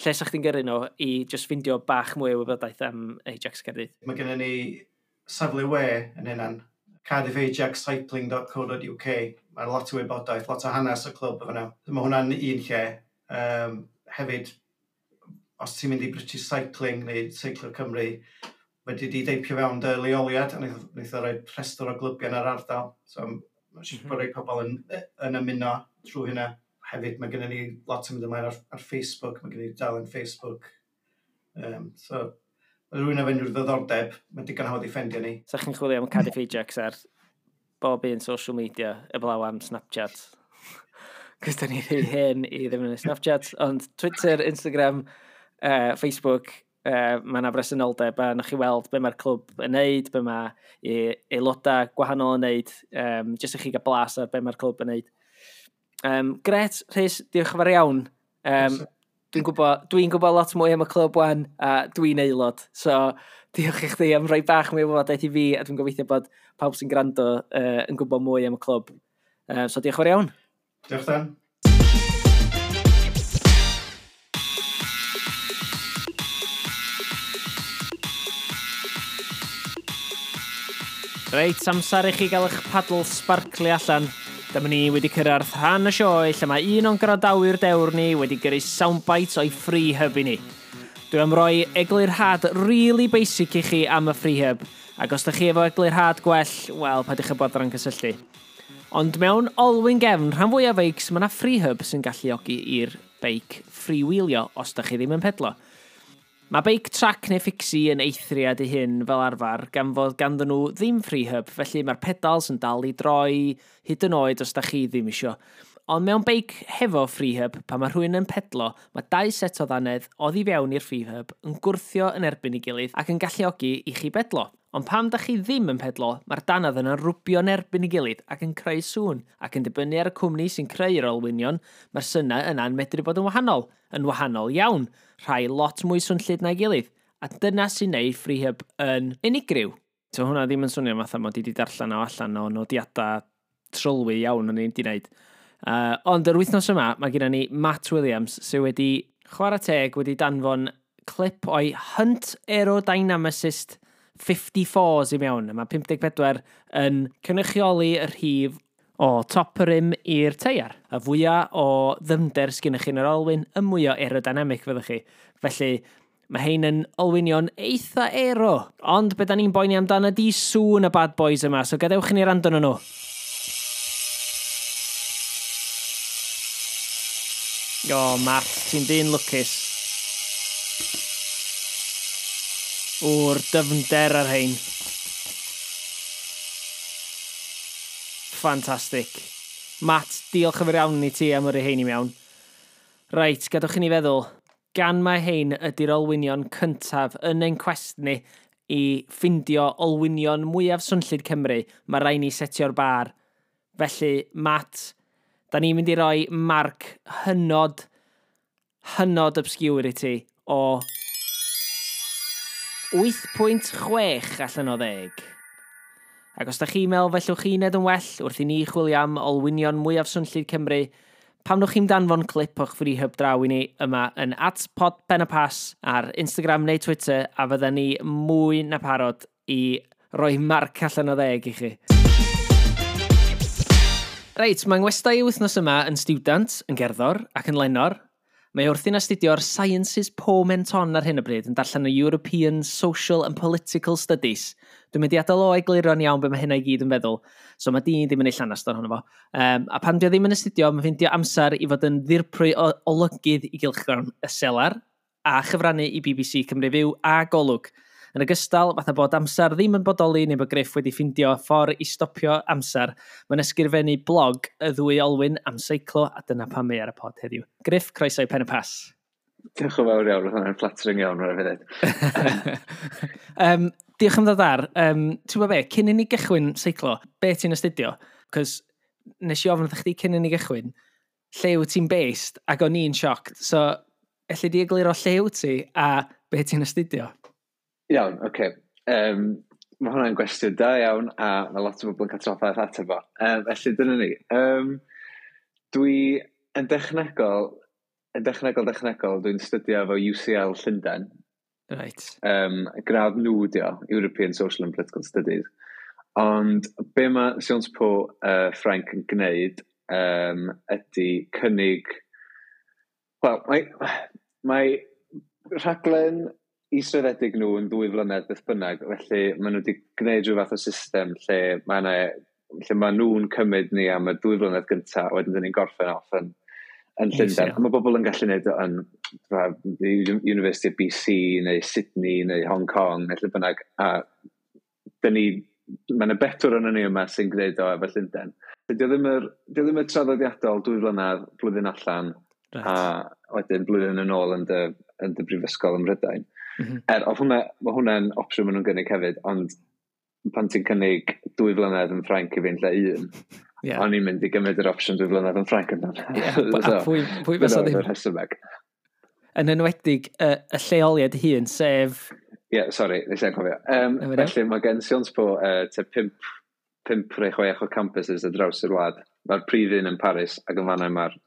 lle sa chdi'n gyrru nhw i just ffindio bach mwy o wybodaeth am Ajax Caerdydd? Mae gennym ni safle we yn hynna'n cardiff ajax cycling dot co dot U K. Mae lot o wybodaeth, lot o hanes y clwb efo yna. Mae hwnna'n un lle. Um, hefyd, os ti'n mynd i British Cycling neu Seiclo Cymru, wedi di deipio fewn dy leoliad, a wnaeth wnaeth o roi rhestr o glybiau yn yr ardal. So, mae'n siŵr Mhm. bod rhai pobl yn, yn ymuno trwy hynna. Hefyd, mae gennym ni lot yn mynd ymlaen ar, ar Facebook, mae gennym ni dalen Facebook. Um, so, mae rhywun efo unrhyw ddiddordeb, mae digon hawdd i ffendio ni. Sa chi'n chwilio am Cardiff Ajax ar bob un social media, eblaw am Snapchat. Cos da ni rhy hen i ddefnyddio Snapchat, ond Twitter, Instagram, uh, Facebook, uh, mae yna bresenoldeb a newch chi weld be mae'r clwb yn neud, be mae e- aelodau gwahanol yn neud, um, jyst i chi gael blas ar be mae'r clwb yn neud. Um, gret, Rhys, diolch yn fawr iawn. Um, dwi'n gwybod, dwi'n gwybod lot mwy am y clwb wan, a dwi'n aelod. So, diolch i chdi am rhoi bach mwy o wybodaeth i fi, a dwi'n gobeithio bod pawb sy'n gwrando uh, yn gwybod mwy am y clwb. Uh, so, diolch yn fawr iawn. Diolch, Dan. Reit, amser i chi gael eich paddle sparkly allan. Dyma ni wedi cyrraedd rhan y sioe lle mae un o'n gwrandawyr dewr ni wedi gyrru soundbites o'i free hub i ni. Dwi am roi eglurhad really basic i chi am y free hub, ac os ydych chi efo eglurhad gwell, wel, paidwch â boddran cysylltu. Ond mewn olwyn gefn, rhan fwyaf feics, mae yna free hub sy'n galluogi i'r beic freewheelio os ydych chi ddim yn pedlo. Mae beic track neu fixie yn eithriad i hyn fel arfer, gan fod ganddyn nhw ddim free hub, felly mae'r pedals yn dal i droi hyd yn oed os da chi ddim isio. Ond mewn beic hefo freehub, pan mae rhywun yn pedlo, mae dau set o ddannedd oddi fewn i'r freehub yn gwrthio yn erbyn ei gilydd ac yn galluogi i chi bedlo. Ond pam da chi ddim yn pedlo, mae'r danedd yna'n rwbio yn erbyn ei gilydd ac yn creu sŵn, ac yn dibynnu ar y cwmni sy'n creu'r olwynion, mae'r synau yna'n medru bod yn wahanol, yn wahanol iawn, rhai lot mwy swnllyd na'i gilydd. A dyna sy'n neud freehub yn unigryw. So hwnna ddim yn swnio fatha mod i wedi darllen o allan o nodiadau trylwyr iawn o'n i wedi wneud. Uh, ond yr wythnos yma, mae gennym ni Matt Williams sydd wedi chwarae teg wedi danfon clip o'i Hunt Aerodynamicist fifty-fours i mewn. Mae pump deg pedwar yn cynrychioli y rhif o top yr rim i'r teiar. Y fwyaf o ddyfnder sgynnych chi yn yr olwyn, y mwyaf aerodynamic fyddwch chi. Felly, mae hein yn olwynion eitha aero. Ond be da ni'n boeni amdano ydi sŵn y bad boys yma, so gadewch i ni wrando arnyn nhw. O, Matt, ti'n dyn lwcus. O'r dyfnder ar hein. Ffantastig. Matt, diolch yn fawr iawn i ti am yrru hein i mewn. Reit, gadewch i ni feddwl. Gan mae hein ydy'r olwynion cyntaf yn ein cwest ni i ffindio olwynion mwyaf swnllyd Cymru, mae rhaid ni setio'r bar. Felly, Matt, da ni'n mynd i roi marc hynod, hynod obscure i ti o wyth pwynt chwech allan o ddeg. Ac os da chi'n meddwl fellwch chi wneud yn well wrth i ni chwilio am olwynion mwyaf swnllyd Cymru, pam nwch chi'n danfon clip o'ch freehub draw i ni yma yn at pod pen y pas ar Instagram neu Twitter, a fydda ni mwy na parod i roi marc allan o ddeg i chi. Reit, mae ngwestai wythnos yma yn stiwdant, yn gerddor ac yn lenor. Mae wrthi'n astudio'r Sciences Po Menton ar hyn o bryd yn darllen y European Social and Political Studies. Dwi'n mynd i adael o egluro'n iawn be mae hynna i gyd yn feddwl, so mae dyn ddim yn ei llanast ohono fo. Um, a pan dwi ddim yn astudio, mae'n ffeindio amser i fod yn ddirprwy o olygydd i gylchgrawn y Selar a chyfrannu i B B C Cymru Fyw a Golwg. Yn ogystal, fatha bod amser ddim yn bodoli neu bod Griff wedi ffindio ffordd i stopio amser, mae'n ysgrifennu blog y ddwy olwyn am seiclo, a dyna pam mae ar y pod heddiw. Griff, croeso i Pen y Pass. Diolch yn fawr iawn, roedd hwnna'n flattering iawn, rhaid fi ddweud. um, diolch am ddod ar. Um, ti'n gwybod be, cyn i ni gychwyn seiclo, be ti'n astudio? Cos nes i ofyn wrth chdi cyn i ni gychwyn, lle wyt ti'n based, ac o'n i'n shocked. So, elli di egluro lle wyt ti a be ti'n astudio? Iawn, oce. Okay. Um, mae hwnna'n gwestiwn da iawn, a mae lot o bobl yn cael trafferth ateb fo. Um, felly, dyna ni. Um, dwi yn dechnegol, yn dechnegol, dechnegol, dwi'n studio efo U C L Llundain. Right. Um, gradd nhw di o, European Social and Political Studies. Ond be mae Sciences Po uh, Ffrainc yn gwneud um, ydy cynnig... Wel, mae, mae rhaglen israddedig nhw yn ddwy flynedd beth bynnag, felly maen nhw wedi gwneud rhyw fath o system lle mae yna, lle maen nhw'n cymryd ni am y dwy flynedd gyntaf, a wedyn dyn ni'n gorffen off yn, yn Llundain. A mae bobl yn gallu gwneud o yn the University of B C neu Sydney neu Hong Kong neu lle bynnag, a dyn ni, mae yna bedwar ohonon ni yma sy'n gwneud o efo Llundain. Dio ddim yr, dio ddim y traddodiadol dwy flynedd, blwyddyn allan, right. A wedyn blwyddyn yn ôl yn dy, yn dy brifysgol ym Mhrydain. Mm-hmm. Er, oedd hwnna, mae hwnna'n opsiwn maen nhw'n gynnig hefyd, ond pan ti'n cynnig dwy flynedd yn Ffrainc i fi'n lle un, yeah. O'n i'n mynd i gymryd yr opsiwn dwy flynedd yn Ffrainc yn dan. Yeah, a pwy, pwy fysa ddim? Rhesymeg. Yn enwedig y, y lleoliad hun, sef... Ie, yeah, sori, nes i'n cofio. Um, felly mae gen Sciences Po uh, te pump, pump neu chwech o campuses ar draws yr wlad. Mae'r prif un yn Paris, ac yn fan'na mae'r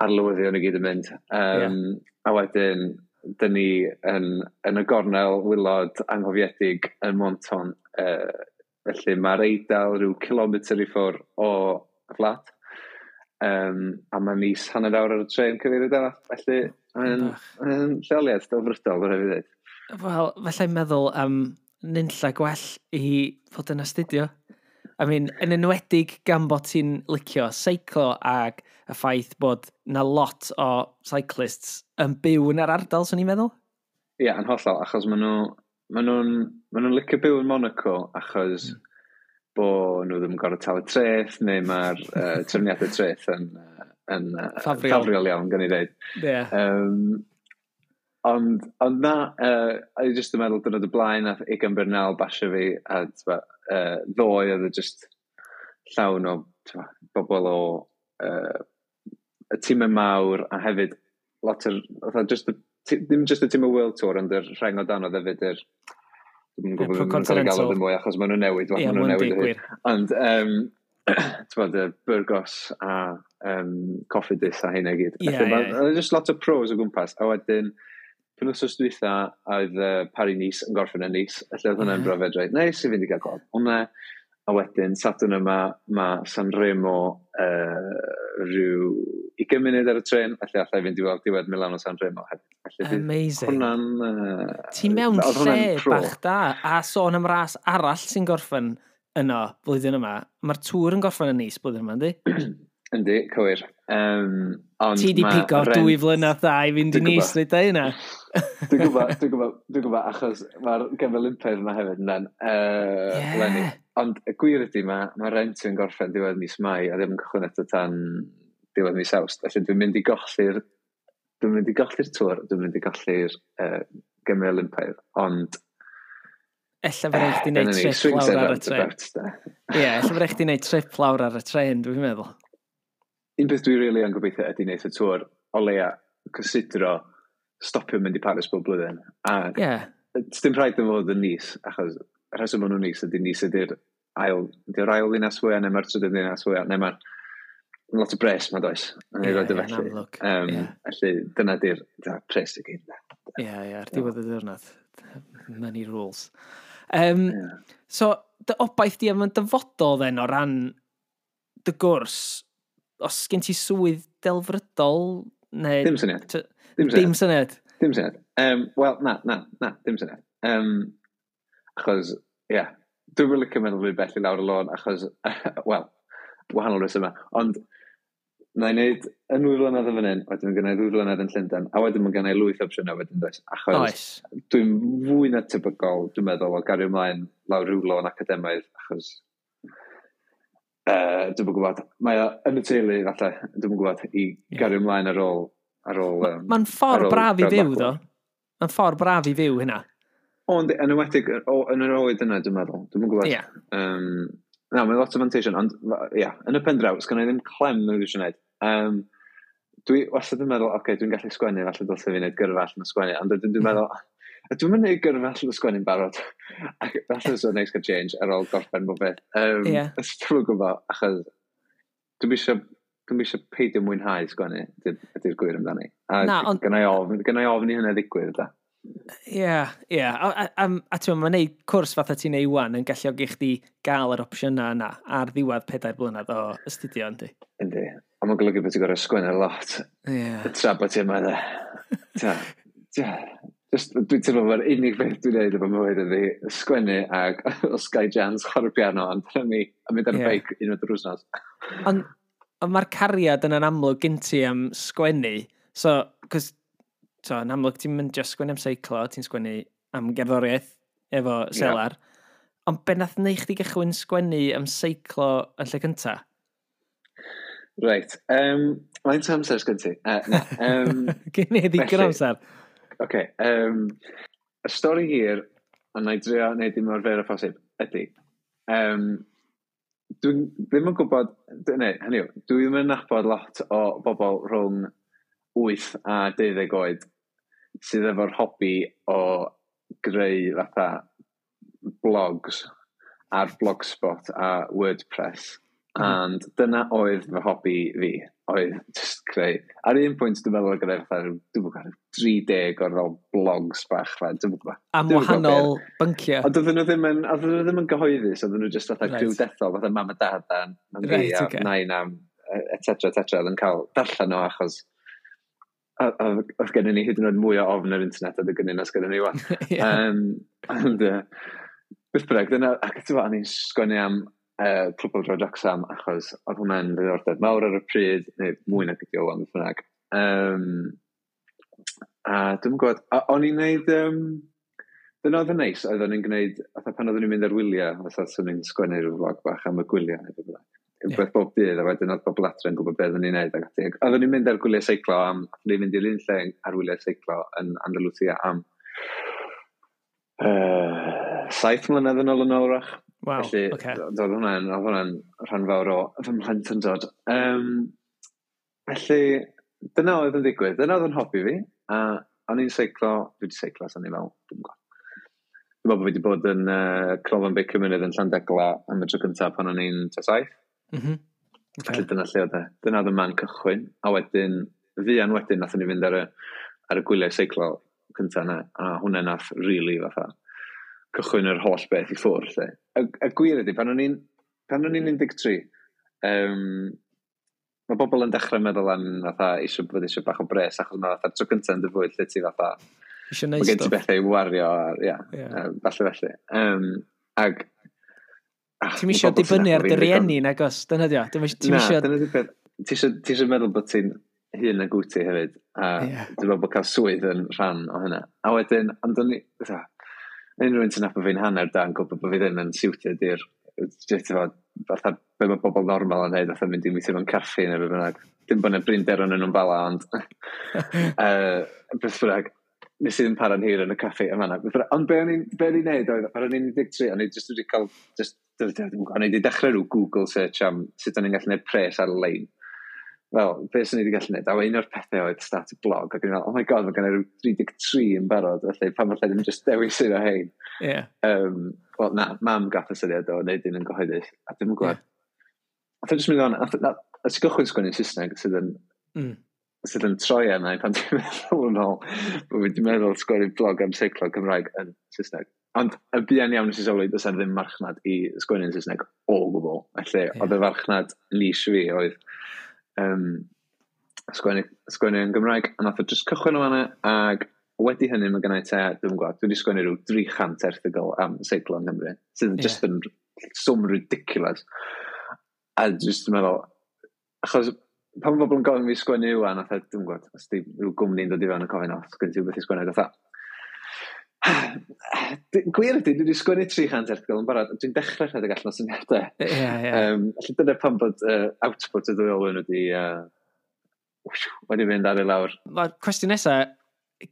arlywyddion i gyd yn mynd. Um, yeah. A wedyn, dyn ni yn, yn y gornel wylod anghofiedig yn Menton. Uh, felly mae'r Eidal rhyw kilometr i ffwrdd o fflat. Um, a mae'n is hanner awr ar y tren cyfeiriad arall. Felly mae'n mae'n lleoliad delfrydol, rhaid fi ddweud. Wel, felly'n meddwl am nunlla gwell i fod yn astudio. I mean, yn enwedig gan bod ti'n licio seiclo ag y ffaith bod na lot o cyclists yn byw yn yr ardal, swn i'n meddwl? Ie, yeah, yn hollol, achos maen nhw, maen nhw'n, maen nhw'n licio byw yn Monaco, achos mm. bo nhw ddim yn gorfod talu treth, neu mae'r uh, trefniadau treth yn, yn uh, Ffafriol. ffafriol iawn, gan i ddeud. Yeah. Um, ond, ond na, uh, o'n i just yn meddwl dwrnod y blaen, nath Egan Bernal basio fi, a t'bo, uh, ddoe oedd e just llawn o t'bo, bobl o uh, y tîmau mawr, a hefyd lot o'r, fatha just y, ti- ddim just y tîm y World Tour, ond yr rheng o dan oedd hefyd yr, dwi'n Ie, gwybod Pro beth maen nhw'n cael ei galw Continental. ddim mwy, achos maen nhw'n newid, Ie, maen nhw'n ma'n newid o hyd. digwydd. Ond, um, t'bod, y Burgos a um, Cofidis a hynna i gyd. Ie, Felly, ma' ie. Oedd just lot o pros o gwmpas. A wedyn, penwthnos dwytha, oedd uh, Paris-Nice yn gorffen yn Nice. Felly oedd hwnna'n Ie. brofiad reit neis i fynd i gael gweld hwnna. A wedyn, Sadwrn yma, mae Sanremo uh, rhyw ugain munud ar y tren, felly allai fynd i weld diwedd Milano Sanremo hefyd. Felly bydd Amazing. Hwnna'n... Uh, Ti mewn oedd hwnna'n lle pro. bach da, a sôn am ras arall sy'n gorffen yno blwyddyn yma. Mae'r Tour yn gorffen yn Nice blwyddyn yma, yndi? Yndi, cywir. Um, ond Ti di ma' pigo rent- dwy flynedd da i fynd i Dwi'n Nice, gwbod. rhaid da hynna. Dwi'n gwybod, dwi'n gwybod, dwi'n gwybod, achos mae'r Gemau Olympaidd yma hefyd yn uh, Ie. Lenny. Ond y gwir ydy, mae ma rent yn gorffen diwedd mis Mai a ddim yn cychwyn eto tan diwedd mis Awst. Felly dwi'n mynd i golli'r dwi'n mynd i golli'r Tour, dwi'n mynd i golli'r uh, Gemau Olympaidd, ond Ella fe rhaid chdi dyna wneud ni, trip swings lawr and ar y tren. roundabouts, de. Ie, ella fe rhaid chdi wneud trip lawr ar y tren, dwi'n meddwl. Un peth dwi really yn gobeithio ydy wneud y Tour o leia cysidro stopio mynd i Paris bob blwyddyn. A Ie, dim rhaid yn fod yn Nice, achos y rheswm maen nhw'n Nice ydy Nice ydy'r ail, ydy'r ail ddinas fwyaf, neu mae'r trydydd ddinas fwyaf, neu mae'r lot o bres ma does. Yn ei Ie, roed o ie, yn felly. amlwg, Um, ie. Felly dyna di'r dyna'r pres i gyd. ie, ie, ar diwedd y diwrnod. Money rules. Um, Ie. So, dy obaith di am y dyfodol then o ran dy gwrs, os gen ti swydd delfrydol, neu... Dim syniad. T- Dim syniad. Dim syniad. Dim syniad. Um, Wel, na, na, na, dim syniad. Um, achos, ie, yeah, dwi'n yn licio meddwl fwy bell i lawr y lôn, achos, wel, wahanol resymau. Ond, na i wneud yn ddwy flynedd yn fan hyn, wedyn mae gen i ddwy flynedd yn Llundain, a wedyn mae gen i lwyth opsiynau wedyn does. Achos Oes. dwi'n fwy na tebygol, dwi'n meddwl, o gario ymlaen lawr rhyw lôn academaidd, achos uh, dwi'n gwybod, mae o yn y teulu, falle, dwi'n gwybod, i Ie. gario ymlaen ar ôl, ar ôl... Um, Mae'n ffordd ar ôl braf i gradd fyw, bachelor. ddo. Mae'n ffordd braf i fyw hynna. Ond yn enwedig, o, yn yr oed yna, dwi'n meddwl. Dwi'n gwybod. Ie. Um, na, mae'n lot o fanteision, ond ia, yeah, yn y pen draw, sgynna i ddim clem mewn eisiau gwneud. Um, dwi wastad yn meddwl, oce, okay, dwi'n gallu sgwennu, falle dylse fi wneud gyrfa allan o sgwennu, ond wedyn dwi'n meddwl, a dwi'n mynd gwneud gyrfa allan o sgwennu'n barod. Ac falle so neis cael change ar ôl gorffen bob beth. Um, Ie. Dwi'n gwybod, achos dwi'n eisiau dwi'n eisiau peidio mwynhau sgwennu, ydy'r ydy gwir amdani. A Na, ond- gynna i ofn, gynna i ofn i hynny ddigwydd, da. Ie, ie. A, a, a, a ti'n mae'n neud cwrs fatha ti'n neud wan yn galluogi chdi gael yr opsiynau yna ar ddiwedd pedair blynedd o astudio, yndi? Yndi. A mae'n golygu bod ti'n gorfod sgwennu lot. Ie. Tra bod ti yma, de. Ta, ta. Just, dwi'n teimlo fo'r unig beth dwi'n neud efo mywyd ydi sgwennu ag os gai chance chwarae piano, ond dyna ni, a mynd ar y Ie. beic unwaith yr wsnos. Ond ond mae'r cariad yna'n amlwg gen ti am sgwennu. So, cos, so, yn amlwg ti'n mynd just sgwennu am seiclo, ti'n sgwennu am gerddoriaeth efo Selar. Ond be nath neu chdi gychwyn sgwennu am seiclo yn lle cynta? Reit, um, faint o amser sgyn ti? Uh, na, um, Gen i ddigon Felly- amser. Oce, um, y stori hir, a na i drio wneud dim mor fer â phosib, ydy, um, dwi'n ddim yn gwybod, neu, hynny yw, dwi ddim yn nabod lot o bobl rhwng wyth a deuddeg oed sydd efo'r hobi o greu fatha blogs ar Blogspot a WordPress. Mm. And dyna oedd fy hobi fi, oedd just creu. Ar un pwynt dwi'n meddwl o greu fatha, rhyw- dwi'm yn gwybod, tri deg o'r fel blogs bach, fa, dwi'm yn gwybod. Am Dwi'm yn gwbod wahanol bynciau. Ond oedden nhw ddim yn, oedden nhw ddim yn gyhoeddus, oedden nhw just fatha Reit. criw dethol, fatha mam a dad a mam fi Reit, a ocê. nain a et cetera, et cetera, oedd yn cael darllen o achos a- a- oedd gennym ni hyd yn oed mwy o ofn yr internet oedd gennym ni nas gennym ni wan. Ie. Um, ond, uh, beth bynnag, dyna, ac ti'n gwbod, o'n i'n sgwennu am uh, Clwb Pêl-droed Wrecsam, achos oedd hwnna'n ddiddordeb mawr ar y pryd, neu mwy nag ydi o wan, beth bynnag. Um, a dwi'n gwybod, a o'n i'n neud, um, Dyna oedd yn neis, oedd o'n i'n gwneud, fatha pan oeddwn i'n mynd ar wyliau, fatha swn i'n sgwennu rhyw vlog bach am y gwyliau, neu beth bynnag. Rhywbeth bob dydd, a wedyn oedd bobl adre yn gwybod beth oeddwn i'n neud. Ac ati. Oeddwn i'n mynd ar gwyliau seiclo am, oeddwn i'n mynd i'r un lle ar wyliau seiclo yn Andalusia am uh, saith mlynedd yn ôl yn ôl wrach. Wow, Felly, ocê. Oedd hwnna'n, oedd hwnna'n rhan fawr o fy mhlentyndod. Um, felly, dyna oedd yn digwydd. Dyna oedd yn hobi fi. A o'n i'n seiclo, dwi wedi seiclo, so o'n i'n fel, dwi'n gwybod. Dwi'n meddwl bod fi wedi bod yn uh, Canolfan Beicio Mynydd yn Llandegla am y tro cyntaf pan o'n i'n tua saith. Mm -hmm. Okay. Felly dyna lle oedd e. Dyna oedd y man cychwyn. A wedyn, fuan wedyn, nathon ni fynd ar y, ar y gwyliau seiclo cyntaf yna. A hwnna nath really fatha cychwyn yr holl beth i ffwrdd. Lle. Y, y gwir ydy, pan o'n i'n pan o'n i'n un deg tri, um, mae bobl yn dechrau meddwl am fatha eisiau bod eisiau bach o bres, achos mae fatha tro cyntaf yn dy fywyd lle ti fatha Eisiau mae neud gen ti stwff. bethau i wario ar, ia, Ie. yeah. falle felly. Um, ag, ach, Ti'n ma' isio bobl sy'n dibynnu ar nabod dy fi'n ddigon- rieni, nagos? Dyna dio. Ti'n Na, isio... dyna 'di'r peth. Ti isio, ti isio meddwl bod ti'n hŷn nag wyt ti hefyd, a Ie. dwi'n meddwl bod cael swydd yn rhan o hynna. A wedyn, ond o'n i, fatha, unrhyw un sy'n nabod fi'n hanner da yn gwybod bod fi ddim yn suited i'r, just efo, fatha, be mae bobl normal yn neud, fatha mynd i weithio mewn caffi neu be bynnag. Dim bod yna brinder yn nhw'n bala, ond uh, beth bynnag, nes i ddim para'n hir yn y caffi yma na. Ond be o'n i'n be o'n i'n neud oedd, pan o'n i'n un deg tri, o'n i just wedi cael, just, o'n i wedi dechrau rhyw Google search am sut o'n i'n gallu neud pres ar-lein. Wel, be swn i wedi gallu neud? A un o'r pethau oedd start a blog, ac o'n i'n meddwl, oh my god, mae gen i ryw tri deg tri yn barod, felly pam falle ddim just dewis un o hein. Ie. Um, Wel, na, mam gath y syniad o wneud un yn gyhoeddus, a dwi'n gwybod. Nath o jyst mynd on, nath, nath, nath i gychwyn sgwennu Saesneg sydd yn, Mm. sydd yn troi arna i pan dwi'n meddwl yn ôl, bod fi wedi meddwl sgwennu blog am seiclo Cymraeg yn Saesneg. Ond y buan iawn nes i sylwi, does 'na ddim marchnad i sgwennu yn Saesneg o gwbl. Felly, Ie. oedd y farchnad niche fi oedd um, sgwennu, sgwennu yn Gymraeg, a nath o just cychwyn o fanna, ag wedi hynny mae gennau te, dwi'n gwybod, dwi wedi sgwennu rhyw dri chant erthygl am seiclo yng Nghymru, sydd Ie. just yn swm ridiculous. A just yn meddwl, achos pan mae bobl yn gofyn fi sgwennu ŵan, fatha, dwi'n gwybod, os di rhyw gwmni'n dod i fewn yn gofyn, o, sgwen ti rhywbeth i sgwennu, fatha, gwir ydy, dwi wedi sgwennu tri chant erthygl yn barod, dwi'n dechrau rhedeg allan o syniadau. Ie, ie. Um, felly dyna pam bod uh, output y ddwy olwyn wedi, uh, wedi mynd ar ei lawr. Mae'r cwestiwn nesaf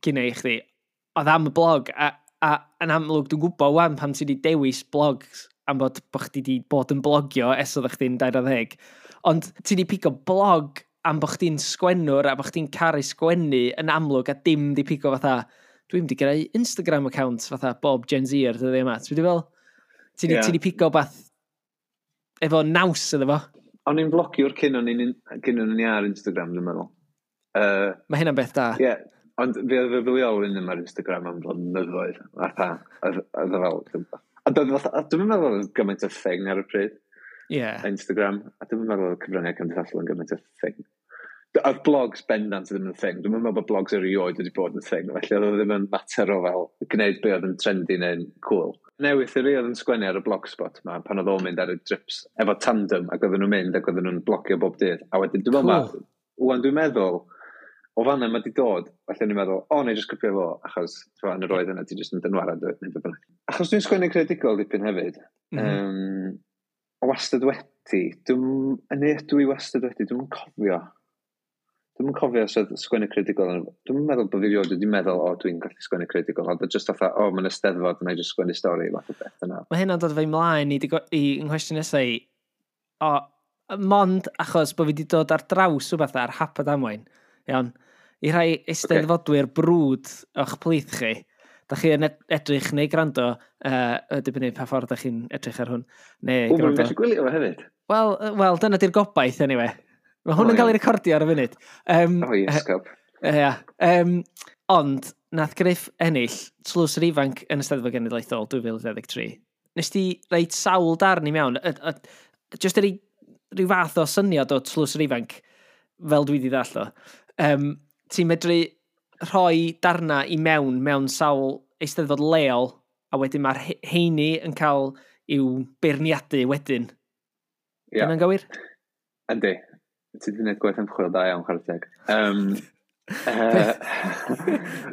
gynna i chdi, oedd am y blog, a, a yn amlwg dwi'n gwybod wan pam ti wedi dewis blogs am bod, bod chdi wedi bod yn blogio ers oeddech chdi'n dair ar ddeg. Ond ti wedi pigo blog am bod chdi'n sgwennwr a bod chdi'n caru sgwennu yn amlwg a dim di pigo fatha, dwi'n wedi greu Instagram account fatha bob Gen Z ar dyddiau yma. Ti wedi fel, ti wedi Ie. ti wedi pigo beth efo naws iddo fo. O'n i'n blogiwr cyn o'n i'n cyn o'n i ar Instagram, dwi'n meddwl. Uh, Mae hynna'n beth da. Ie, ond fi oedd fy filiol yn ddim ar Instagram am blynyddoedd. Fatha, oedd oedd o fel... Ond oedd fatha, dwi'n meddwl oedd gymaint o thing ar y pryd, Ie. Instagram, a dwi'n meddwl oedd cyfryngau cymdeithasol yn gymaint o thing. Oedd blogs bendant ddim yn thing. Dwi'n meddwl bod blogs erioed wedi bod yn thing, felly oedd o ddim yn mater o fel gwneud be oedd yn trendy neu'n cool. Newydd i fi oedd yn sgwennu ar y blogspot ma, pan oedd o'n mynd ar y trips efo tandem, ac oedden nhw'n mynd ac oedden nhw'n blogio bob dydd. A wedyn dwi'n meddwl, Cool. ma, wan dwi'n meddwl, o fanna mae di dod, felly o'n i'n meddwl, o, neu jyst copio fo, achos t'mo, yn yr oed yna ti jyst yn dynwared, dwyt, neu be bynnag. Achos dwi'n sgwennu creadigol dipyn hefyd, Mm -hmm. um, o wastad wedi, dwi'n, yn ydw i wastad wedi, dwi'n cofio. Dwi'n cofio os oedd sgwennu creadigol, yn- dwi'n meddwl bod fi erioed wedi meddwl, o, dwi'n gallu sgwennu creadigol, ond just fatha, o, mae'n eisteddfod, na i just sgwennu stori, fath o beth yna. Mae hynna'n dod fe ymlaen i, digo- i nghwestiwn nesaf i. O, mond achos bod fi wedi dod ar draws rhywbeth ar hap a damwain. Iawn. I rhai eisteddfodwyr brwd o'ch plith chi, da chi yn ed- edrych neu gwrando, uh, dibynnu pa ffordd da chi'n edrych ar hwn, neu O, mae'n gwrando. gallu gwylio fo hefyd. Wel, yy, wel, dyna di'r gobaith, anyway. Mae hwn O, yn cael ei iawn. recordio ar y funud. Um, O, iesgob. Ia. Um, ond, nath Griff ennill Tlws yr Ifanc yn y Steddfod Genedlaethol dwy fil dau ddeg tri. Nes ti reit sawl darn i mewn, y, y, just yr rhyw fath o syniad o Tlws yr Ifanc, fel dwi wedi ddallt o. Um, ti'n medru rhoi darna i mewn mewn sawl eisteddfod leol, a wedyn mae'r he- heini yn cael i'w beirniadu wedyn. Ie. Dyna'n gywir? Yndi. Ti wedi gwneud gwaith ymchwil da iawn, chwarae teg. Um, Uh,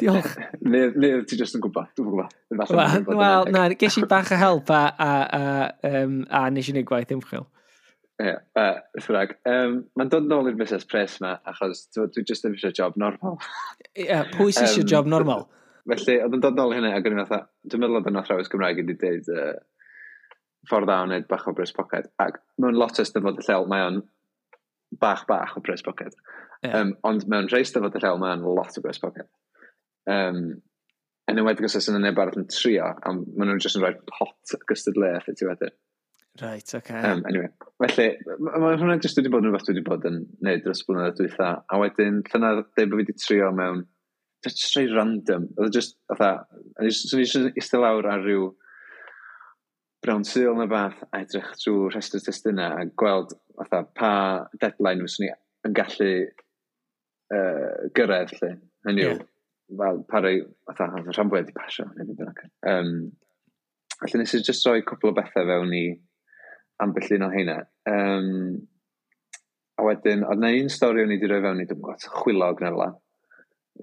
Diolch. Neu, neu ti jyst yn gwybod, dwi'n gwybod. Wel, well, na, ges i bach o help a, a, a, um, a nes i wneud gwaith ymchwil. Ie, yeah, uh, beth bynnag. Um, Mae'n dod nôl i'r busnes pres yma, achos dwi jyst ddim eisiau job normal. Ie, yeah, pwy sy'n eisiau um, job normal? Felly, oedd yn dod nôl i hynny, ac o'n i'n fatha, dwi'n meddwl oedd yn athrawes Gymraeg wedi deud uh, ffordd dda o wneud bach o bres poced. Ac mewn lot o Eisteddfod lleol, mae o'n bach bach o bres poced. Yeah. Um, ond mewn rhai Eisteddfod lleol, mae o'n lot o bres poced. Um, yn enwedig os oes yna neb arall yn trio, a maen nhw'n jyst yn rhoi pot gystadleuaeth i ti wedyn. Right, okay. Um, anyway, felly, mae hwnna jyst wedi bod yn rhywbeth dwi wedi bod yn neud dros blynyddoedd dwytha, a wedyn llynedd dweud bod fi wedi trio mewn, just rhai random, oedd e just, fatha, swn i jyst eistedd lawr ar ryw brown sul neu bath a edrych trwy rhestr testunau a gweld fatha pa deadline fyswn i yn gallu uh, gyrraedd lle. Hynny yw, yeah. Fel pa rai, fatha, rhan fwyaf wedi pasio, neu beth bynnag. Um, felly nes i just rhoi cwpl o bethau fewn i ambell un o heina. Um, a wedyn, oedd na un stori o'n i wedi rhoi fewn i, dwi'n gwybod, chwilog neu fel 'a.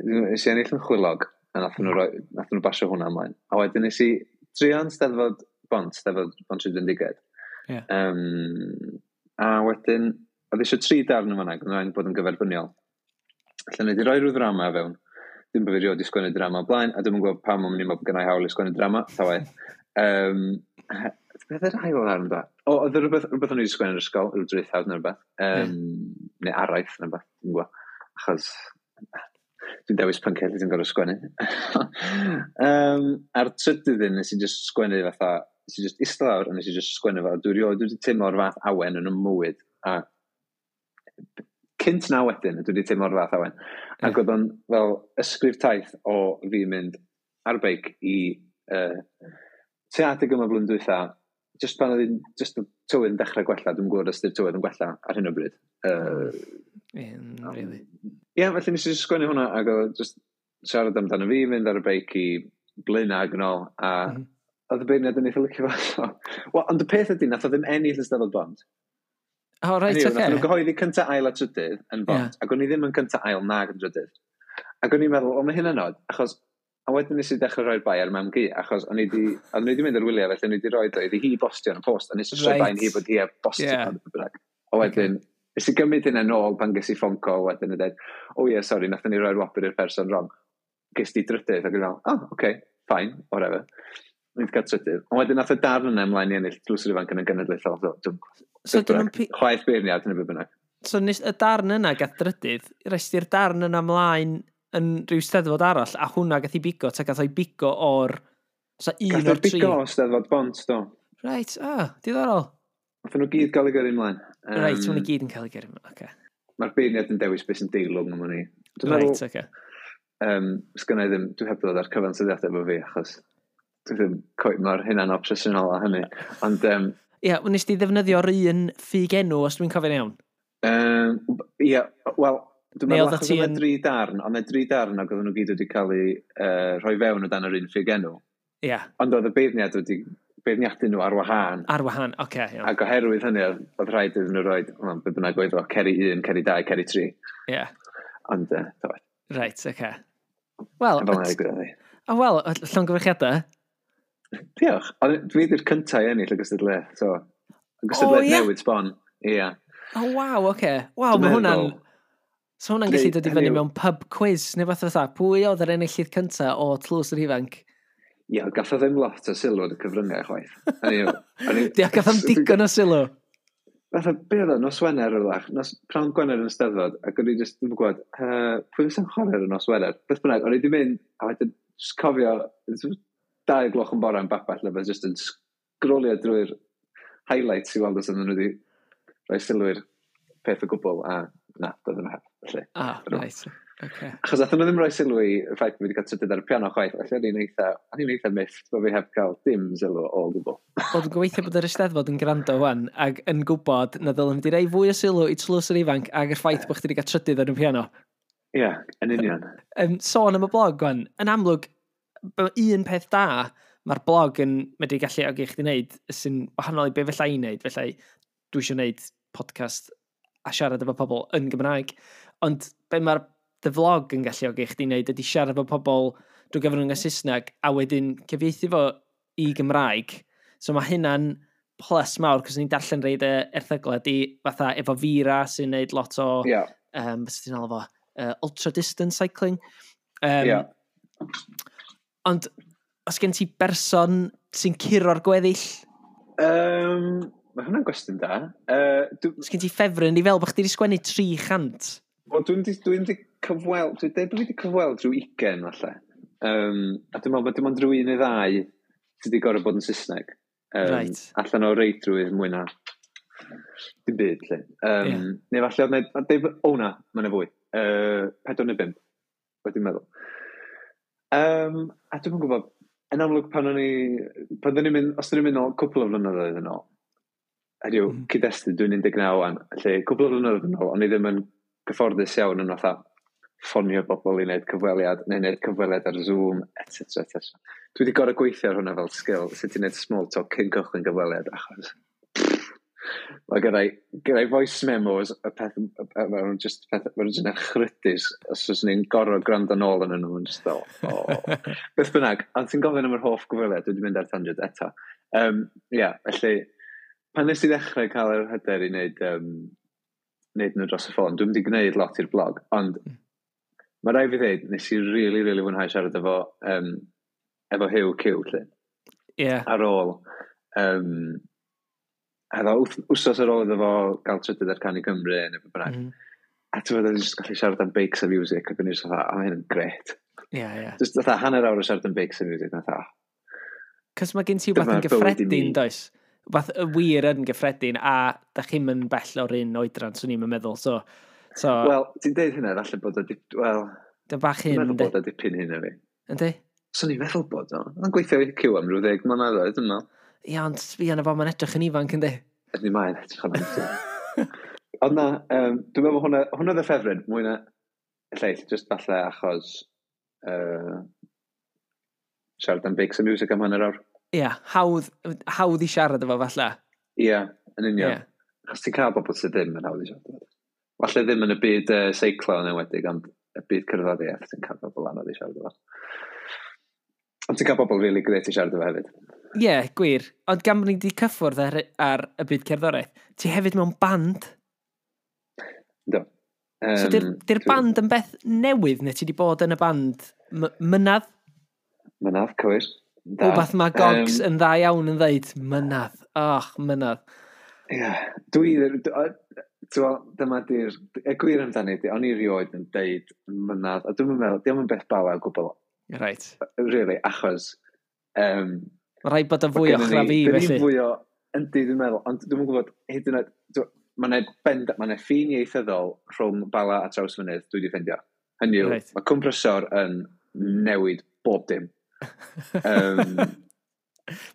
Nes i ennill yn chwilog, a nath nhw, roi, nath nhw basio hwnna ymlaen. A wedyn nes i drio yn Steddfod Bont, Steddfod Pontrhydfendigaid. Yeah. Um, a wedyn, oedd eisiau tri darn yma nag, oedd bod yn gyferbyniol. Felly nes i roi rhyw ddrama fewn. Dim bod fi rioed wedi sgwennu drama o blaen, a dwi'm yn gwybod pam o'n i'n meddwl bod gennai hawl i sgwennu drama, ta waeth. Um, beth yr ail ddarn da? O, oedd rhywbeth, rhywbeth o'n i wedi sgwennu yn yr ysgol, rhyw draethawd neu rhywbeth. Um, yeah. Neu araith neu rhywbeth, dwi'n gwybod. Achos dwi'n dewis pynciau lle dwi'n gorfod sgwennu. um, a'r trydydd un, nes i just sgwennu fatha, nes i just eistedd lawr a nes i just sgwennu fel, dwi rioed wedi teimlo'r fath awen yn 'y mywyd. A cynt na wedyn, dwi wedi teimlo'r fath awen. Ac oedd o'n fel ysgrif taith o fi mynd ar beic i uh, tua adeg yma blwyddyn dwytha, just pan oedd hi'n, just y tywydd yn dechrau gwella, dwi'n gwybod os ydy'r tywydd yn gwella ar hyn o bryd. Uh, yeah, really. Ie, yeah, felly nes i just sgwennu hwnna ac oedd just siarad amdano fi, mynd ar y beic i Blaenau ac yn ôl, a mm -hmm. oedd y beirniad yn eitha licio fo. Wel, ond y peth ydy, nath o ddim ennill y Steddfod Bont. Oh, right, oce. Okay. Nath nhw gyhoeddi cynta ail a trydydd yn Bont, yeah. Ac o'n i ddim yn cynta ail nag yn drydydd. Ac o'n i'n meddwl, o, mae hynna'n od, achos, a wedyn nes i dechrau rhoi'r bai ar mam-gu, achos o'n i di, o'n i di mynd ar wyliau, felly o'n i di roi o iddi hi bostio yn y post, a nes i right. rhoi bai hi bod hi a bostio yeah. Yn A wedyn, okay. Nes i gymryd hynna nôl pan ges i phone call wedyn a dweud, oh yeah, sorry, nathon ni roi'r wobr i'r person wrong. Ges di drydydd, ac o'n i'n meddwl, oh, okay, fine, whatever. O'n i wedi cael trydydd. Ond wedyn nath y darn yna ymlaen i ennill Tlws yr Ifanc yn y genedlaethol. So, so dyn pi... Chwaith beirniad yn y beth bynnag. So nes y darn yna gath drydydd, rest i'r darn yna ymlaen yn rhyw steddfod arall, a hwnna gath i bigo, ta gath o'i bigo o'r... So un gath o'r tri. Gath o'i bigo o Steddfod Bont, do. Right, ah, diddorol. Nath nhw gyd gael eu gyrru ymlaen. Um, right, maen nhw gyd yn cael eu gyrru ymlaen, oce. Okay. Mae'r beirniad yn dewis beth sy'n deilwng am hynny. Right, oce. Okay. Um, sgynna i ddim, dwi heb ddod ar cyfansoddiadau efo fi, achos dwi ddim cweit mor hynna'n obsesiynol â hynny. Ond... Um, Ie, yeah, nes di ddefnyddio'r un ffug enw, os dwi'n cofio'n iawn? Ie, um, yeah, wel, dwi'n meddwl achos oedd dri darn, ond dri darn ac oedden nhw gyd wedi cael eu uh, rhoi fewn o dan yr un ffug enw. Ie. Yeah. Ond oedd y beirniad wedi beirniadu nhw ar wahân. Ar wahân, oce. Okay, iawn. Ac oherwydd hynny, oedd rhaid iddyn nhw roed, well, be bynnag oedd o, ceri un, ceri dau, ceri tri. Ie. Yeah. Ond, uh, do. Right, oce. Okay. Wel, fel yna ddigwyddodd hi. A wel, llongyfarchiadau. Diolch. Ond dwi wedi'r cyntaf i ennill y gystadleuaeth, so... Y gystadleuaeth oh, yeah? Newydd sbon. Ie. Yeah. Oh, waw, oce. Okay. Waw, mae hwnna'n... So hwnna'n gallu dod i fyny mewn pub quiz, neu fath fatha. Pwy oedd yr enillydd cyntaf o Tlws yr Ifanc? Ie, yeah, gath o ddim lot o sylw yn y cyfryngau chwaith. Diolch, gath o'm digon o sylw. Fatha, be oedd o, nos Wener o'r lach, nos prawn Gwener yn y Steddfod, ac o'n i just ddim yn gwybod, uh, pwy fysa'n chwarae ar y nos Wener? Beth bynnag, o'n i wedi mynd, a wedyn just cofio, dau gloch yn bore yn babell, a just yn sgrolio drwy'r highlights i weld os oedden nhw wedi rhoi sylw i'r peth o gwbl, a na, doedden nhw heb. Felly, ah, right. Okay. Achos athyn nhw ddim rhoi sylw i y ffaith bod fi wedi cael trydydd ar y piano chwaith, felly o'n i'n eitha, o'n i'n eitha miffed bod fi heb cael dim sylw o gwbl. Wel, dwi'n gobeithio bod yr Eisteddfod yn gwrando wan ac yn gwybod na ddylen nhw wedi rhoi fwy o sylw i Tlws yr Ifanc ac yr ffaith bod chdi wedi cael trydydd ar y piano. Ie, yeah, yn union. Um, sôn am y blog wan, yn amlwg, un peth da mae'r blog yn medru galluogi chdi wneud sy'n wahanol i be fella i wneud, felly dwi eisiau wneud podcast a siarad efo pobl yn Gymraeg, ond be mae'r dy vlog yn galluogi chdi wneud ydy siarad efo pobl drwy gyfrwng y Saesneg a wedyn cyfieithu fo i Gymraeg. So mae hynna'n plus mawr, cos ni'n darllen rhai dy erthyglau di fatha efo Vera sy'n neud lot o, yeah. um, beth ti'n alw fo, uh, ultra distance cycling. Um, yeah. Ond os gen ti berson sy'n curo'r gweddill? Um, mae hwnna'n gwestiwn da. Uh, dwi... Os gen ti ffefryn i fel bod chdi wedi sgwennu tri chant? Wel, dwi'n di, dwi di cyfweld, dwi'n dweud bod fi wedi cyfweld rhyw ugain falle. Um, a dwi'n meddwl bod dim ond rhyw un neu ddau sydd wedi gorfod bod yn Saesneg. Um, right. Allan o reidrwydd mwy na dim byd, lle. Um, Yeah. Neu falle oedd na, o na, mae yna fwy. Uh, pedwar neu bump, wedi meddwl. Um, a dwi'n gwybod, yn amlwg pan o'n i, pan o'n i'n mynd, os o'n i'n mynd nôl cwpl o flynyddoedd yn ôl, hynny yw, Mm. cyd-destun, dwi'n un deg naw wan, felly cwpl o flynyddoedd yn ôl, o'n i ddim yn gyfforddus iawn yn fatha ffonio bobl i wneud cyfweliad, neu wneud cyfweliad ar Zoom, et cetera, et cetera. Dwi wedi gorfod gweithio ar hwnna fel skill, sut i wneud small talk cyn cychwyn gyfweliad, achos mae gynna i, gynna i voice memos, y peth, ma' nhw'n just, peth, ma' nhw'n just echrydus, os oes ni'n gorfod gwrando nôl yn nhw, yn just fel, oh. Beth bynnag, ond ti'n gofyn am yr hoff gyfweliad, dwi wedi mynd ar tangent eto. Um, yeah, felly, pan nes i ddechrau cael yr hyder i wneud, um, wneud nhw dros y ffôn, dwi'n wedi gwneud lot i'r blog, ond mae rhaid fi ddeud, nes i really, really fwynhau siarad efo, um, efo Huw Q, lle. Yeah. Ar ôl, um, efo wsos ar ôl iddo fo gael trydydd ar Cân i Gymru, neu beth bynnag. Mm -hmm. A ti'n meddwl, jyst gallu siarad am beics a music, ac o'n i jyst fatha, oh, mae hyn yn gret. Yeah, yeah. Just fatha hanner awr o siarad am beics a music, na fatha. Cos mae gen ti wbeth yn Dyma'r bywyd i mi. gyffredin, does? Wbath y wir yn gyffredin, a da chi'm yn bell o'r un oedran, swn i'n meddwl. So, so Wel, ti'n deud hynna, falle bod o, dip, wel, dy bach dwi'n hyn, meddwl yndi? bod o dipyn hyn o fi. Yndi? Swn i'n meddwl bod o. Mae'n gweithio i Q am rhyw ddeg mlynedd oedd, dwi'n meddwl. Ia, ond sbia na fo, mae'n edrych yn ifanc, yndi? Ydy mae'n edrych yn ifanc. Ond na, um, dwi'n meddwl hwnna, hwnna oedd y ffefryn, mwy na y lleill, just falle achos uh, siarad am beics a music am hanner awr. Ia, hawdd, hawdd i siarad efo falle. Ie, yeah, yn union. Ie. Achos ti'n cael bobl sydd ddim yn hawdd i siarad efo. Falle ddim yn y byd uh, seiclo yn enwedig, ond y byd cerddoriaeth ti'n cael bobl anodd i siarad efo. Ond ti'n cael bobl really great i siarad efo hefyd. Ie, yeah, gwir. Ond gan bod ni wedi cyffwrdd ar, ar y byd cerddoriaeth, ti hefyd mewn band. Do. Um, So di'r di'r band yn beth newydd, neu ti wedi bod yn y band m- mynadd? Mynadd, cywir. Da. Wbath mae Gogs Yym, yn dda iawn yn ddeud, mynadd. Och, mynadd. Ie, dwi, ti'n gweld, dyma di'r, y gwir amdani ydi, o'n i rioed yn deud mynadd, a dwi'n meddwl, diolch yn beth bala o gwbl, Right. really, achos, um, Mae rhaid bod yn fwy o chra fi, felly. felly. Fwy o, yndi, dwi'n meddwl, ond dwi'n gwybod, hyd yn oed, mae yna bend, mae yna ffin ieithyddol rhwng Bala a Trawsfynydd, dwi wedi ffeindio. Hynny yw, Reit. mae Cwmprysor yn newid bob dim. Um,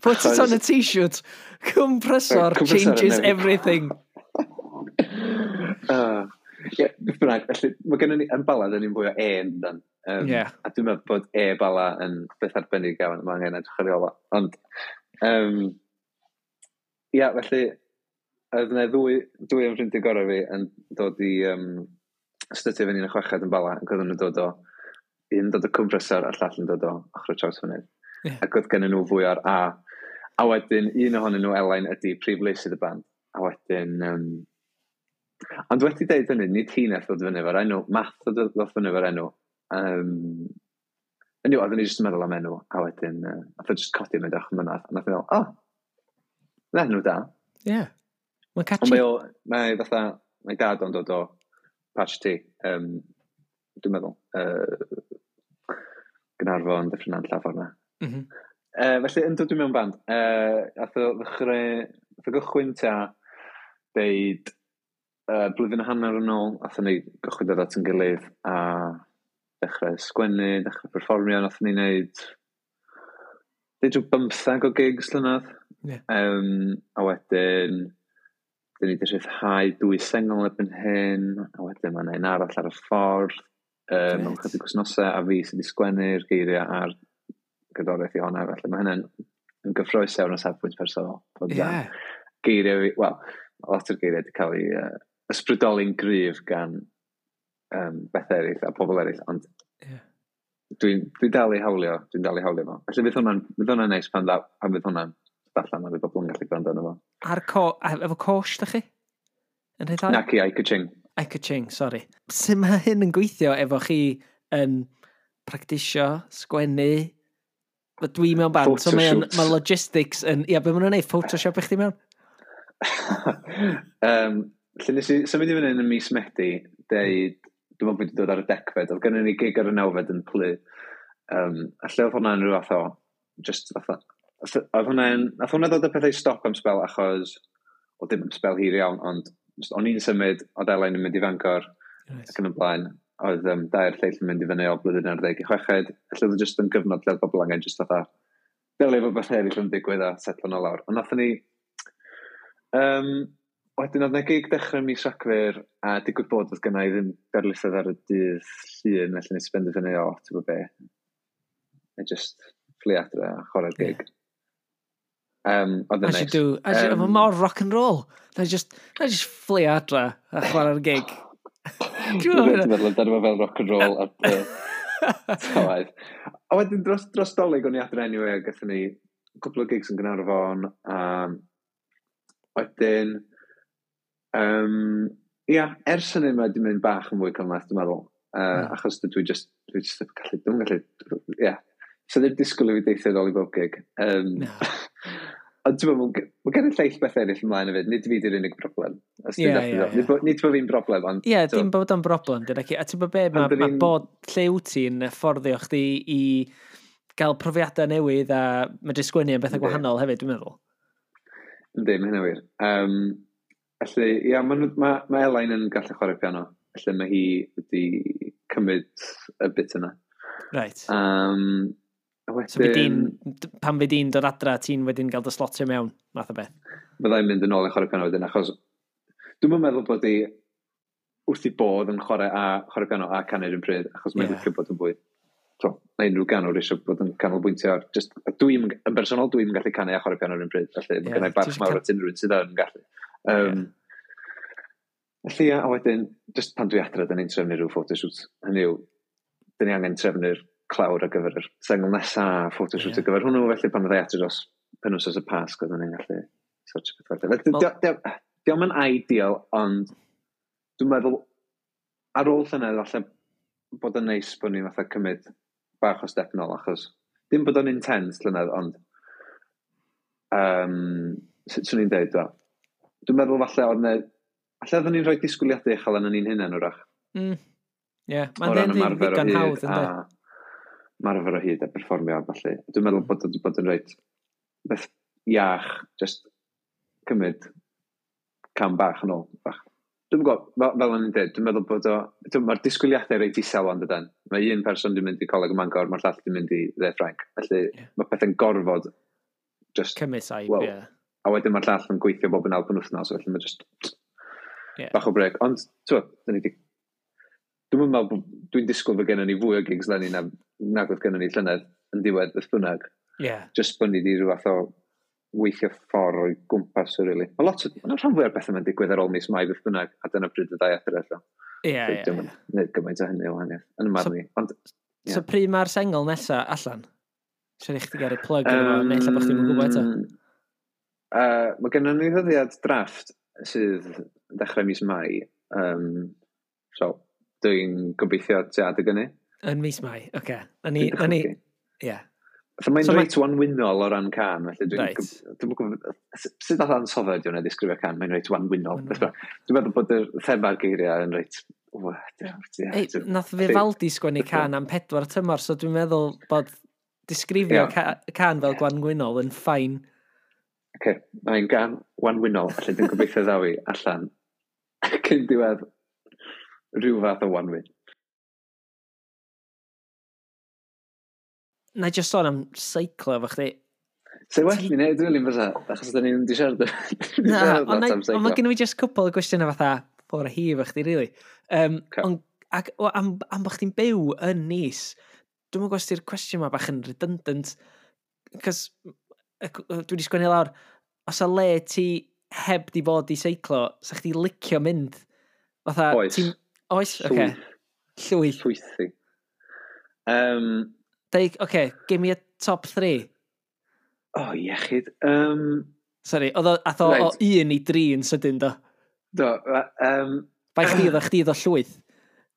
Put it on a t-shirt. Compressor Cwmprysor yn changes newid. everything. Uh, ie, beth bynnag, felly, mae gennym ni, yn Bala, dyn ni'n fwy o E yn dan. Um, Ie. A dwi'n meddwl bod E Bala yn beth arbennig iawn, mae angen edrych ar ei ôl o. Ond, um, ia, felly, oedd yna ddwy, dwy o'n ffrindiau gorau fi yn dod i um, stydio fyny yn y chweched yn Bala, ac oedden nhw'n dod o, un dod o Cwmprysor a'r llall yn dod o ochr y Trawsfynydd. Ie. Ac oedd gennyn nhw fwy o'r A. A wedyn, un ohonyn nhw, Elain, ydy prif leisydd y band. A wedyn, um, ond wedi deud hynny, nid hi nath ddod fyny efo'r enw, Math ddod ddod fyny efo'r enw. Um, Hynny yw, oedden ni jyst yn meddwl am enw, a wedyn, uh, nath o jyst codi mynd o'ch mynadd, a nath o feddwl, o, oh, na enw da. Ie. Yeah. Mae'n Ond catchy. mae o, mae fatha, mae dad o'n dod o Patch T, um, dwi'n meddwl, uh, Gaernarfon, Dyffryn Nantlle, ffordd 'na. Mm -hmm. Uh, felly, yn dod i mewn band, uh, ath o ddechrau, ath o gychwyn tua deud uh, blwyddyn a hanner yn ôl, athon ni gychwyn dod at yn gilydd a dechrau sgwennu, dechrau perfformio, nathon ni wneud deud rhyw bymthag o gigs llynedd. Ie. Um, a wedyn, dyn ni wedi rhyddhau dwy sengl erbyn hyn, a wedyn mae yna un arall ar y ffordd, um, mewn Grêt. chydig wythnosau, a fi sydd wedi sgwennu'r geiriau a'r gerddoriaeth i honna, felly mae hynny'n yn gyffrous iawn o safbwynt personol. Bod Ie. yeah. Geiriau fi, wel, lot o'r geiriau wedi cael eu uh, ysbrydoli'n gryf gan um, bethau eraill a pobl eraill, ond yeah. dwi'n dwi dal i hawlio, dwi'n dal i hawlio fo. Felly fydd hwnna'n, fydd hwnna'n neis pan, pan fydd hwnna'n allan a fydd bobl yn gallu gwrando arno fo. Ar co, efo coach, da chi? Yn rhyddhau? Naci, I-Ka-Ching. I-Ka-Ching, sorry. Sut mae hyn yn gweithio efo chi yn practisio, sgwennu? Dwi mewn band, so mae, mae logistics yn... Ia, be maen nhw'n neud? Photoshop i chdi mewn? um, lle nes i symud i fyny yn y mis Medi, deud, dwi'n meddwl bod wedi dod ar y degfed, oedd gennym ni gig ar y nawfed yn Plu. Um, a lle oedd hwnna'n rhyw fath o, just fatha, oedd hwnna'n, nath hwnna ddod â pethau i stop am spel achos, o dim am spel hir iawn, ond just, o'n i'n symud, oedd Elain yn mynd i Fangor, right. Ac yn y blaen, oedd um, dair lleill yn mynd i fyny o blwyddyn ar ddeg i chweched, felly oedd just yn gyfnod lle oedd bobl angen just fatha, delio efo beth eraill yn digwydd a setlo nhw lawr. Ond nathon ni, um, wedyn oedd 'na gig dechrau mis Rhagfyr, a digwydd bod oedd gynna i ddim darlithoedd ar y dydd Llun, felly nes i benderfynu, o, ti'n gwybod be, I just fflio adre a chwarae'r gig. Yeah. Um, oedd yn nice. Do. As you, um, mor rock and roll. Na just, na just fflio adre a chwarae'r gig. Dwi'n meddwl amdano fo fel rock and roll a tywaith. A wedyn dros, dros Dolig o'n i adre anyway, a gathon ni cwpl o gigs yn Gaernarfon. Um, wedyn, um, ia, ers hynny mae wedi mynd bach yn fwy cymhleth, dwi'n meddwl. Uh, mm. Achos dwi just, dwi just gallu, dwi'n gallu, ia. Yeah. So ddim disgwyl i fi deithio nôl i bob gig. Um, no. Ond ti'n meddwl, mae gen i lleill beth eraill ymlaen hefyd, nid fi di'r unig broblem. Ie, ie, ie. Nid bod fi'n broblem, ond... Ie, yeah, dim bod o'n broblem, dyna ci. A ti'n bod be, mae ma bod lle wyt ti'n fforddio chdi i gael profiadau newydd a medru sgwennu am bethau gwahanol hefyd, dwi'n meddwl. Yndi, mae hynna wir. Um, felly, ia, mae ma, ma Elain yn gallu chwarae piano. Felly mae hi wedi cymryd y bit yna. Right. Um, wedyn, so di'n, pan fyd di'n dod adra, ti'n wedyn gael dy slotio mewn, math o beth? Byddai'n mynd yn ôl i chwarae piano wedyn, achos dwi'n meddwl bod hi wrth i bodd yn chwarae a chwarae piano a canu'r un pryd, achos mae'n yeah. licio bod yn fwy. So, mae unrhyw ganwr eisiau bod yn canolbwyntio ar... Just, dwi'n, yn bersonol, dwi'n gallu canu a chwarae piano yr un pryd, felly yeah, mae gennai barch mawr at unrhyw un sydd yn gallu. Um, yeah. Felly, a wedyn, just pan dwi adra, dyn ni'n trefnu rhyw photoshoot. Hynny yw, dyn ni angen trefnu'r clawr ar gyfer yr sengl nesa, photoshoot yeah. ar gyfer hwnnw, felly pan fyddai adre dros penwythnos y Pasg, oedden ni'n gallu sortio peth fel. Well, Dio'm yn ideal, ond dwi'n meddwl ar ôl llynedd falle bod yn neis bod ni'n fatha cymryd bach o step nôl, achos dim bod o'n intense llynedd, ond um, sut swn i'n deud, dwa? Dwi'n meddwl falle oedd ne, falle oedden ni'n rhoi disgwyliadau uchel yn ni'n hunain wrach. Mm. Ie, yeah. Mae'n ddigon hawdd, ynddo? Ymarfer o hyd a perfformio a ballu. Dwi'n meddwl bod wedi bod yn reit beth iach, just cymryd cam bach yn ôl. Bach. Dwi'n gwybod, fel, fel o'n i'n dweud, dwi'n meddwl bod o, mae'r disgwyliadau reit isel ond ydan. Mae un person dwi'n mynd i Coleg y Mangor, mae'r llall dwi'n mynd i Dde Ffrainc. Felly yeah. mae pethau'n gorfod just... Cymryd saib, well, ie. Yeah. A wedyn mae'r llall yn gweithio bob yn alban wythnos, felly mae just yeah. bach o brec. Ond, ti'n dyn ni di... Dwi'n meddwl, dwi'n disgwyl fod gennym ni fwy o gigs leni na, nag oedd gennym ni llynedd yn diwedd beth bynnag. Yeah. Just bod ni di rhyw fath o weithio ffordd o'i gwmpas o, really. Mae lot o, mae'n rhan fwy o'r bethau mae'n digwydd ar ôl mis Mai beth bynnag, a dyna pryd y ddau adre allan. Ie, ie. Dwi'n gwneud gymaint o hynny o wahaniaeth, yn y marn i. Ond, yeah. So pryd mae'r sengl nesa allan? Siarad i chdi gael ei plug um, efo, neu ella bod chdi'n gwybod eto? Uh, mae gennym ni ddyddiad drafft sydd dechrau mis Mai. Um, so, dwi'n gobeithio tua adeg hynny. Yn mis Mai, oce. Okay. Na ni, na ni, ie. So mae'n so reit wanwynol o ran can, felly dwi'n... Right. Dwi'n gwybod, sut fath ansoddair di hwnna disgrifio can, mae'n reit wanwynol. Dwi'n meddwl bod y thema'r geiriau yn reit... Ei, nath Vivaldi sgwennu can am pedwar tymor, so dwi'n meddwl bod disgrifio yeah. can fel gwanwynol yn ffain. Oce, okay. Mae'n gan wanwynol, felly dwi'n gobeithio ddaw i allan cyn diwedd rhyw fath o wanwyn. Na i just sôn am seiclo efo chdi. Se well ni wneud, dwi'n fysa, achos da ni'n di siarad. Na, ond mae gen i just cwpl o gwestiynau fatha ffordd hi efo chdi, really. Um, okay. Ond, ac, o, am, am bod chdi'n byw yn Nice, dwi'n gwybod os di'r cwestiwn yma bach yn redundant, cos dwi wedi sgwennu lawr, os a le ti heb di fod i seiclo, sa chdi licio mynd? Fatha, Oes. Oes? Oce. Okay. Llwyth. Llwythi. Um, Deud, okay, give me a top three. Oh, iechyd. Um, Sorry, oedd o, ath o, Right. o un i dri yn sydyn, do. Do, um, Bai chdi oedd o chdi oedd o llwyth.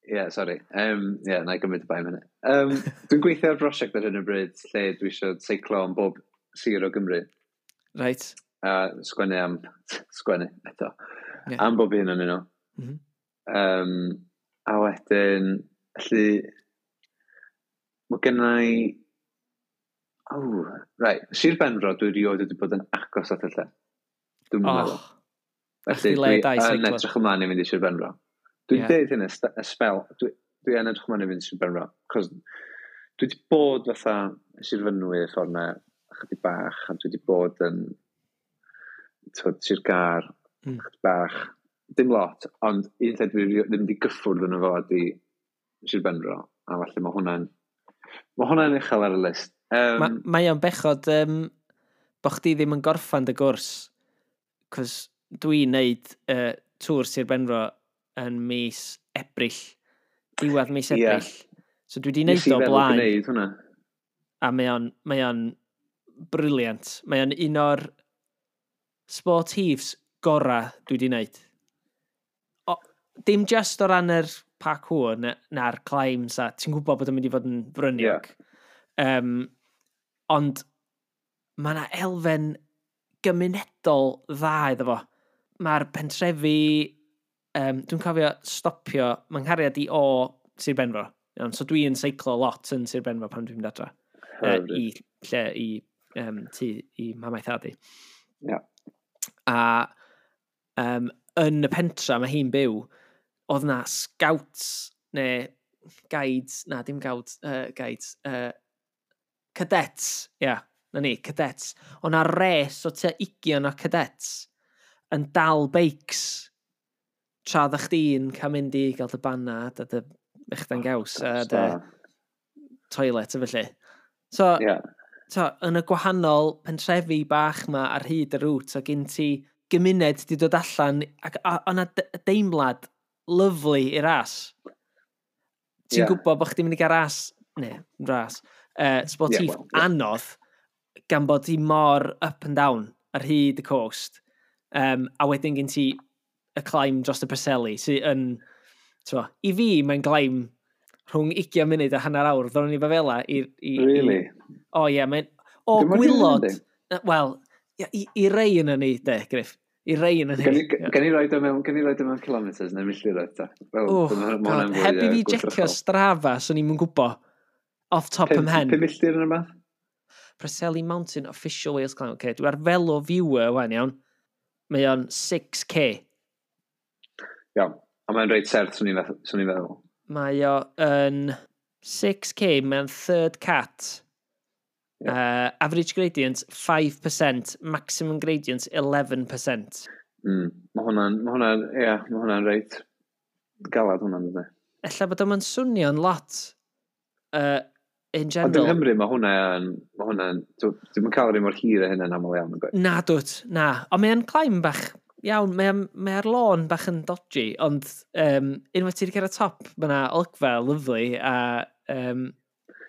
Yeah, sorry. Um, yeah, na i gymryd y bai am hynny. Um, dwi'n gweithio ar brosiect ar hyn o bryd lle dwi eisiau seiclo am bob sir o Gymru. Right. A sgwennu am... sgwennu, eto. Ie. Am bob un o'n nhw. Mhm. Um, a wedyn, felly, mae genna i... Oh, right. Sir Benfro, dwi erioed wedi bod yn agos at y lle. Dwi'n Oh, meddwl. Felly, chdi le dwi da i yn seiclo. edrych ymlaen i fynd i Sir Benfro. Dwi'n Ie. deud hyn y st- y spel, dwi, dwi yn edrych ymlaen i fynd i Sir Benfro. Cos dwi wedi bod fatha Sir Fynwy y ffordd na chydig bach, a dwi wedi bod yn twyd, Sir Gâr, Mm. chydig bach. Dim lot, ond un lle dwi rio- ddim wedi gyffwrdd yn fo ydi Sir Benfro, a falle mae hwnna'n mae hwnna'n uchel ar y list. Um, Ma, mae o'n bechod um, bo chdi ddim yn gorffan dy gwrs, cos dwi'n neud uh, tŵr Sir Benfro yn mis Ebrill, diwedd mis Ie. Ebrill. So dwi wedi nes neud i o feddwl blaen, gwneud hwnna. a mae o'n, mae o'n brilliant. Mae o'n un o'r sportifs gora dwi wedi neud. O, dim just o ran yr parkour na, na'r climbs a ti'n gwybod bod o'n mynd i fod yn fryniog. Yeah. Um, ond mae yna elfen gymunedol dda iddo fo. Mae'r pentrefi, um, dwi'n cofio stopio, mae'n nghariad i o Sir Benfro. Iawn, so dwi'n seiclo lot yn Sir Benfro pan dwi'n mynd adra. Uh, Hyfryd. I lle, i um, tŷ, i mamaeth thad i. Ie. A um, yn y pentra mae hi'n byw, oedd na scouts, neu guides, na dim guides, uh, guides, uh, cadets, ia, yeah, na ni, cadets. Oedd na res o tua ugian o cadets yn dal beics tra oeddach chdi'n cael mynd i gael dy banad a dy mechdan gaws a dy toilet a felly. So, Ie. so, yn y gwahanol pentrefi bach ma ar hyd y route, o gen ti gymuned di dod allan, ac a- o' 'na d- deimlad lyfli i'r ras. Ti'n Ie. gwybod bod chdi'n mynd i gael ras, ne, ras, uh, sportif Ie, wel, ie. anodd, gan bod hi mor up and down ar hyd y coast. Um, a wedyn gen ti y climb dros y Preseli, sydd yn, t'mo, i fi mae'n climb rhwng ugain munud a hanner awr, ddown ni fo fela i... i, Really? I, o ie, mae'n... O, Dim ond i gwylod. yndi? Wel, ia, i, i rei yna ni, de, Griff. I rei yna Gen ni. i gen i roid o mewn, gen i roid o mewn kilometres neu milltiroedd ta? Wel, Oh, ma' hwnna'n God, fwy, heb i yy, fi jecio gwrthrychol. Strava, swn i'm yn gwybod. Off top Pum ym mhen. pum milltir yn rhywbeth? Preseli Mountain Official Wales Climb. Okay, dwi ar Velo Viewer wan, iawn. Mae o'n six K. Iawn. A mae'n reit serth, swn i'n feddwl- swn i'n feddwl. Mae o yn six K, mae'n third cat. Ie. Uh, average gradient five percent, maximum gradient eleven percent. Mm. Mae hwnna'n, mae hwnna'n, ie, mae hwnna'n reit galad hwnna'n dydy. Ella bod o'n swnio'n lot uh, in Ond yng general. Nghymru mae hwnna'n, mae hwnna'n, dwi'm yn cael yr un mor hir a hynna'n aml iawn yn gwaith. Na dwt, na. Ond mae'n climb bach iawn, mae'n mae ar lôn bach yn dodgy, ond um, unwaith ti wedi cyrraedd top, mae yna olygfa lyfli, a um,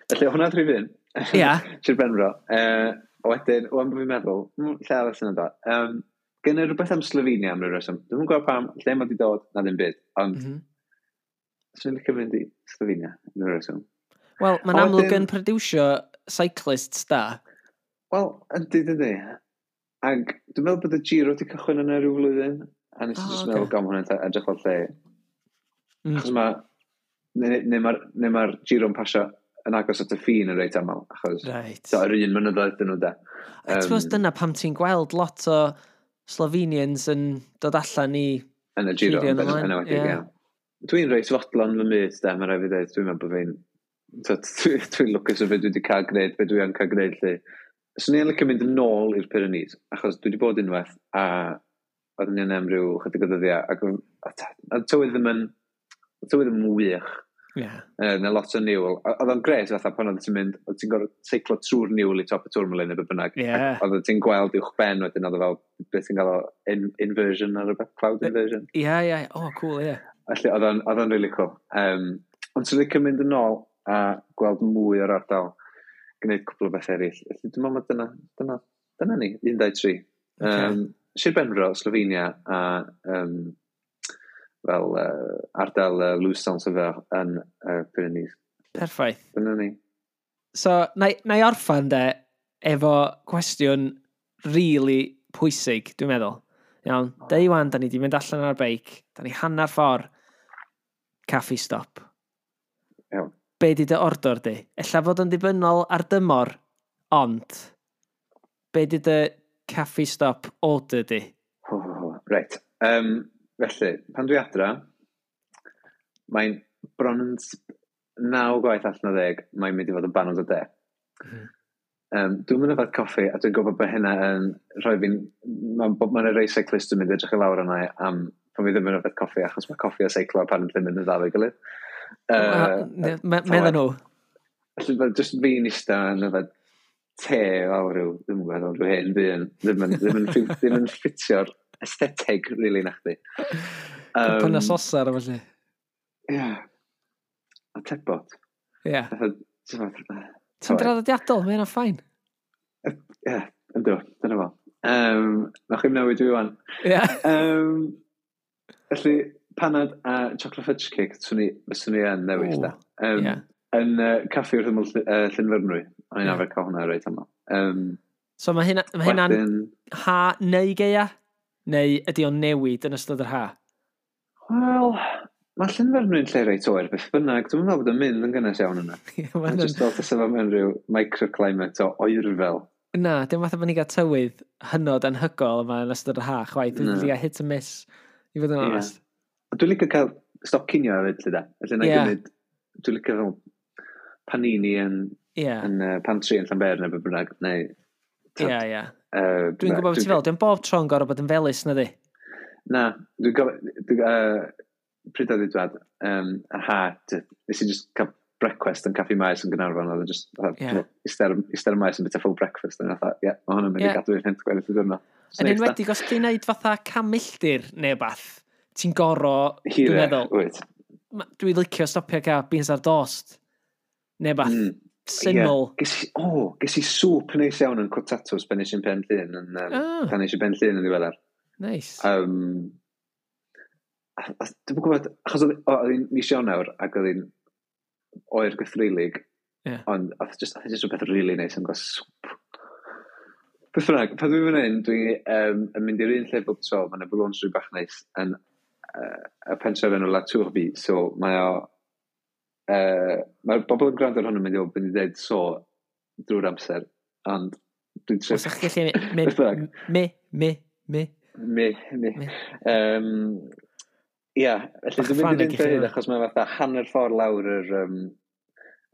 Felly hwnna rhif un. Ia. Sir Benfro. Uh, a wedyn, wan bod fi'n meddwl, mm, lle arall sy'n dod? Um, Gen i rhywbeth am Slovenia am ryw reswm. Dwi'm yn gwybod pam, lle mae wedi dod, na ddim byd. Ond mm mm -hmm. swn i'n licio fynd i Slovenia am ryw reswm. Wel, mae'n A amlwg wedyn- yn produsio cyclists da. Wel, yndi, dydy. Ag dwi'n meddwl bod y Giro wedi cychwyn yna rhyw flwyddyn. A nes i O, just ocê. meddwl, gom hwnna'n edrych fel lle. Mm. Achos mae, neu, neu mae'r neu mae'r Giro'n pasio yn agos at y ffin yn reit aml. Achos Right. so, yr un mynyddoedd dyn nhw da. I suppose Yym, dyna pam ti'n gweld lot o Slovenians yn dod allan i Yn y Giro, Giro yn yn ymlaen, enwedig, ie. ie. Dwi'n reit fodlon fy myd, de, mae rhaid fi dweud. Dwi'n meddwl bod fi'n... Dwi'n dwi lwcus o beth dwi wedi cael gwneud, beth dwi yn cael gwneud, lle. Swn i'n licio mynd yn ôl i'r Pyrenees, achos dwi wedi bod unwaith, a oeddwn ni yna am ryw chydig o ddyddiau, ac oedd- a ta- a tywydd ddim yn, tywydd ddim yn wych. Yeah. Uh, na lot o niwl. O- Oedd o'n gret fatha pan oedd ti'n mynd, oedd ti'n gorfod seiclo trwy'r niwl i top y Tourmalet neu beth bynnag. Ie. Ac oedd ti'n gweld uwch ben wedyn, oedd o fel, beth ti'n gael o in, inversion ar rhywbeth, cloud inversion. Ie, ie. Oh, cool, ie. Felly oedd o'n, oedd o'n really cool. Um, Ond sy'n licio mynd yn ôl a gweld mwy o'r ardal, gwneud cwpl o beth eraill. Felly dwi'n meddwl mai dyna, dyna, dyna ni, un, dau, tri. Okay. Um, Sir Benfro, Slovenia a um, fel uh, ardal uh, Luz Saint-Sauveur yn uh, Pyrenees. Perffaith. Dyna ni. So, na, na i orffan de, efo cwestiwn really pwysig, dwi'n meddwl. Iawn, day one, da ni di mynd allan ar beic, da ni hanner ffordd, caffi stop. Iawn. Be di dy ordor di? Ella fod yn ddibynnol ar dymor, ond be di dy caffi stop order di? Ho, ho, ho. Reit. Um, felly, pan dwi adra, mae'n bron yn s- naw gwaith allan o ddeg, mae'n mynd i fod yn banad o de. Mhm. Um, dwi'n mynd yfed coffi, a dwi'n gwybod bod hynna yn rhoi fi'n... Mae'n ma rei cyclist yn mynd edrych i lawr yna am pan fi ddim yn yfed coffi, achos mae coffi a seiclo apparently mynd yn dda efo'i gilydd. Uh, Medda nhw. Felly, mae jyst fi'n ista yn yfed te fel rhyw, ddim yn gwybod, fel rhyw hen ddyn, ddim yn, ddim yn, ffit- ddim yn ffitio'r aesthetic, really, na chdi. Cwpan o sosar a felly. Ie. A tebot. Ie. Fatha, ti'n Ti'n draddodiadol, mae hynna'n fine. Ie, yndw, dyna fo. Um, Nawch chi'm newid fi wan. Ie. Um, felly, panad a chocolate fudge cake, swn i, fyswn i yn newid, Ww, da. Um, ie. Yn uh, caffi wrth ymyl Ll- uh, Llyn Fyrnwy. O'n i'n Ie. arfer cael hwnna reit aml. Um, So mae hynna, mae hynna'n wedyn, ha neu gaea? Neu ydy o'n newid yn ystod yr ha? Wel, mae Llyn Fyrnwy'n lle reit oer, beth bynnag. Dwi'n meddwl bod yn mynd yn gynnes iawn yna. Ie, Mae'n ma' just fel tasa fo mewn rhyw microclimate o oerfel. Na, dim fatha bod ni'n cael tywydd hynod anhygoel yma yn ystod yr ha, chwaith. Dwi'n Na. wedi cael hit and miss, i fod yn Ie. onest. Dwi'n licio cael stop cinio hefyd, lle da. Felly na Ie. gymryd, dwi'n licio fel panini yn, Ie, yn uh, pantry yn Llanber neu beth bynnag. Neu, ie, ie. Uh, Dwi'n gwybod beth ti fel, dwi'n bob tro'n gorfod bod yn felys, na di? Na, dwi'n gofio, dwi'n, uh, pryd oedd i dwad, um, ar ha, d- nes i just cael brecwast yn Caffi Maes yn Gaernarfon, oedd e just, fatha, Ie. iste ar iste ar y maes yn bita full breakfast, a fatha, ie, mae hwn yn mynd Ie. i gadw i'n hynt gweddill y diwrnod. Just Yn neis, da. enwedig os ti'n neud fatha can milltir neu bath, ti'n goro, dwi'n Hirach, meddwl, wyt. ma- dwi'n licio stopio cael beans ar dost, neu bath, Mm. syml. Ie. Ges i, o, ges i sŵp neis iawn yn Cwtatws pan nes i'n Pen Llŷn, yn, um, Ah. pan nes i Ben Llŷn yn ddiweddar. Nice. Um, a, a, dwi'n gwybod, achos oedd o, oedd hi'n mis Ionawr ac oedd hi'n oer gythreulig, Ie. ond oedd just, oedd just rhywbeth really neis am gael sŵp. Beth bynnag, pan dwi'n mynd hyn, dwi um, yn mynd i'r un lle bob tro, mae'n y boulangerie bach neis yn uh, y pentref enw La Turbie, so mae o, uh, mae'r bobl yn gwrando ar hwn yn mynd i fod yn dweud so drwy'r amser, ond dwi'n trio Os ydych chi'n gallu mynd, Beth bynnag. mi, mi, mi. Mi, mi. Mi. Um, Ia, felly Bach dwi'n mynd ffraineg i'r i un chi lle hyd hwnna. achos mae fatha hanner ffordd lawr yr... Um,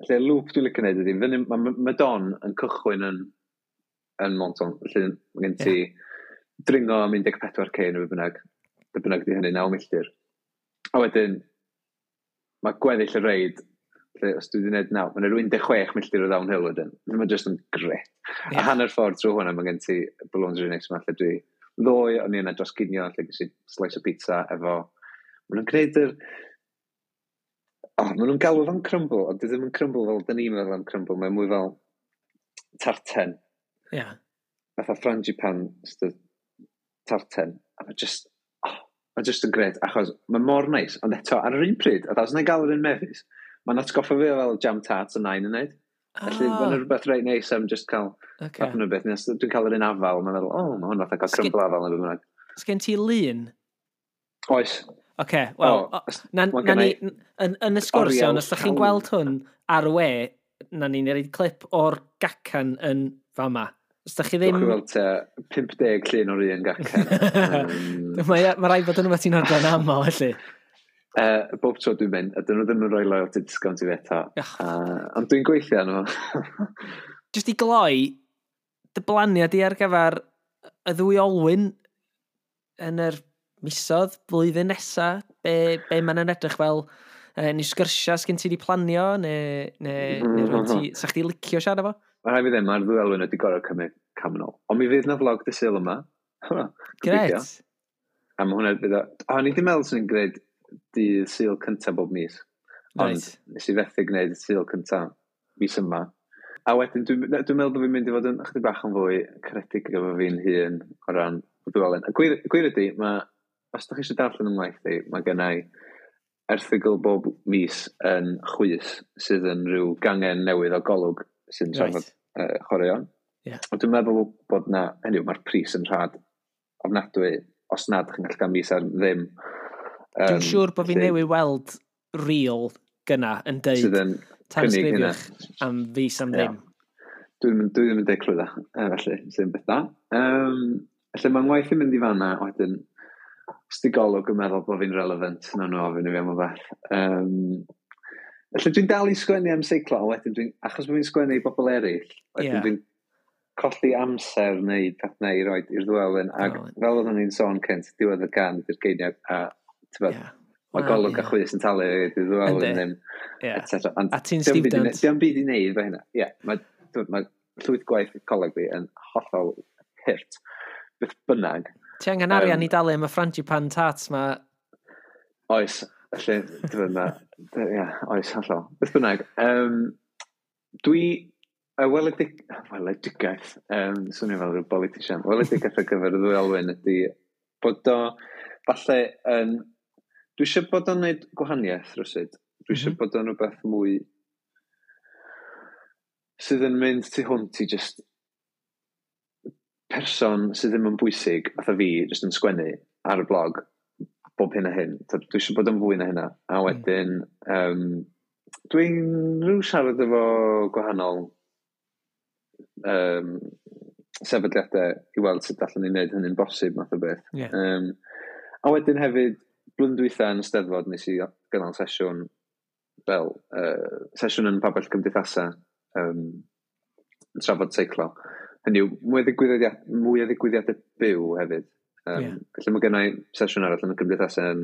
felly y loop dwi'n licio neud ydy, fyny, mae Madon yn cychwyn yn, yn Menton, felly mae gen ti dringo am un deg pedwar K neu be bynnag, be bynnag di hynny, naw milltir. A wedyn, mae gweddill y reid, lle os dwi wedi gwneud naw, mae'n rhyw un deg chwech milltir o downhill wedyn. Mae'n just yn gret. Ie. A hanner ffordd trwy hwnna, mae gen ti boulangerie neis yma, lle dwi ddoe, o'n i yna dros ginio, lle ges i slice o pizza efo... Maen nhw'n gwneud yr... Oh, maen nhw'n galw fo'n crumble, ond dwi ddim yn crumble fel dyn ni'n meddwl am crumble, mae'n mwy fel tarten, Ie. fatha frangipane st- tarten. A mae just, oh, mae just yn gret, achos mae mor neis, ond eto, ar yr un pryd, a os yna gael yr un mefus, mae'n atgoffa fi o fel jam tarts y nain yn neud. Felly, Ah, mae'n rhywbeth reit neis am just cael oce. fath yna beth. Nes dwi'n cael yr un afal, mae'n meddwl, oh, mae hwn fatha cael Sgin- crumble afal neu beth bynnag. Sgen ti lun? Oes. Oce, wel, O, o, na, ma' na ni, gynna yn, yn y sgwrs oriel iawn, os ydych chi'n llawn. gweld hwn ar y we, na ni'n rhaid clip o'r gacan yn fama. Os ydych chi Dwi'n ddim... gweld tua pump deg llun o'r un gacan. um, Mae ma rhaid bod yn rhywbeth ti'n ordro'n aml, felly. uh, bob tro dwi'n mynd, a dyn nhw ddim yn rhoi loyalty discount i fi eto. Ych. Uh, ond dwi'n gweithio arno fo. Just i gloi, dy blaniad i ar gyfer y ddwy olwyn yn yr misodd, blwyddyn nesa, be, be mae'n yn edrych fel, e, neu sgyrsia sgyn ti di planio, neu, neu, neu rhywun ti, sa chdi licio siarad efo? Mae rhaid fi ddim, mae'r ddwy olwyn wedi gorfod cymryd cam yn ôl. Ond mi fydd na vlog dydd Sul yma. Gobeithio. Gret. A mae hwnna fydd o... O, ni ddim meddwl swn i'n gwneud dydd Sul cyntaf bob mis. Ond right. Nes i fethu gwneud y Sul cyntaf mis yma. A wedyn, dwi'n dwi meddwl bod fi'n mynd i fod yn ychydig bach yn fwy caredig efo fi'n hun o ran y Ddwy Olwen. A gwir, gwir ydy, mae, os ydych chi eisiau darllen yng ngwaith i, mae gen i erthygl bob mis yn Chwys, sydd yn rhyw gangen newydd o Golwg sy'n trafod right. uh, chwaraeon. Yeah. Ond dwi'n meddwl bod na, hynny yw, mae'r pris yn rhad ofnadwy, os nad chi'n gallu cael mis ar ddim. Um, dwi'n siŵr bod fi newydd weld reel gynna yn deud sydd yn tanysgrifiwch am fis am ddim. Yeah. Dwi'n dwi ddim yn deud clwydda, felly, sy'n beth da. Um, felly mae'n waith yn mynd i fanna, wedyn, os di Golwg yn meddwl bod fi'n relevant, na nhw ofyn i fi am o beth. Um, felly dwi'n dal i sgwennu am seiclo, a wedyn dwi'n, achos bod fi'n sgwennu i bobl eraill, wedyn yeah. dwi'n colli amser neu peth neu i roed i'r Ddwy Olwyn, ac oh. fel oedden ni'n sôn cynt, diwedd y gan ydy'r geiniog, a ti'n yeah. mae Wel, Golwg ie. a Chwys yn talu i'r Ddwy Olwyn Yndi. ddim, Ie. et cetera. Ond A ti'n dio'm byd i student. ne- Dio'm byd i wneud efo hynna. Ie, mae, mae llwyth gwaith coleg fi yn hollol hurt. Beth bynnag. Ti angen arian Yym, i dalu am y frangipane tarts ma. Oes, felly, dwi'n ma, ie, oes, hollol. Beth bynnag, um, dwi, y weledig, weledigaeth, um, swnio fel rhyw politician, weledigaeth ar gyfer y Ddwy Olwyn ydy bod o, falle, yn, dwi eisiau bod o'n neud gwahaniaeth rywsut. Dwi eisiau Mhm. bod o'n rhywbeth mwy sydd yn mynd tu hwnt i just person sydd ddim yn bwysig, fatha fi, just yn sgwennu ar y blog, bob hyn a hyn. So, dwi eisiau bod yn fwy na hynna. A wedyn, um, dwi'n rhyw siarad efo gwahanol um, sefydliadau i weld sut allan ni wneud hynny'n bosib, math o beth. Ie. Um, a wedyn hefyd, blwyddyn dwytha yn y Steddfod, nes i gynnal sesiwn fel, uh, sesiwn yn pabell cymdeithasa, um, yn trafod seiclo. Hynny yw, mwy o ddigwyddiad, mwy o ddigwyddiadau byw hefyd. Um, Ie. Felly mae gennai sesiwn arall yn y cymdeithasa yn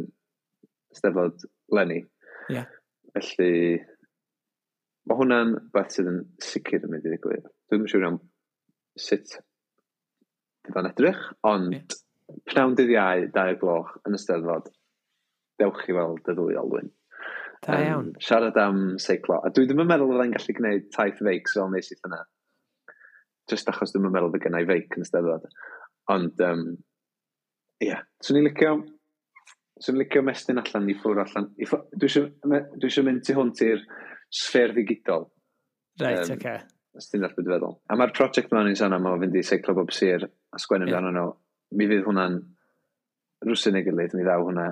Steddfod leni. Ie. Felly, mae hwnna'n beth sydd yn sicr yn mynd i ddigwydd. Dwi'm yn siŵr iawn sut fydd o'n edrych, ond Ie. pnawn dydd Iau, dau o'r gloch yn y Steddfod, dewch i weld y Ddwy Olwyn. Da Yym, iawn. Siarad am seiclo. A dwi ddim yn meddwl fyddai'n gallu gwneud taith feics fel nes i llynedd. Just achos dwi'm yn meddwl fydd gennai feic yn y Steddfod. Ond, um, ie, yeah. Swn i'n licio, swn i'n licio mestyn allan i ffwrdd allan. I ffwr, dwi eisiau dwi eisiau mynd tu hwnt i'r sffêr ddigidol. Reit, Yym, oce. Os ti'n dallt beth dwi'n feddwl. A mae'r prosiect yma ni'n sôn am o fynd i seiclo bob sir a sgwennu Ie. amdano nhw. Mi fydd hwnna'n rwsyn ei gilydd, mi ddaw hwnna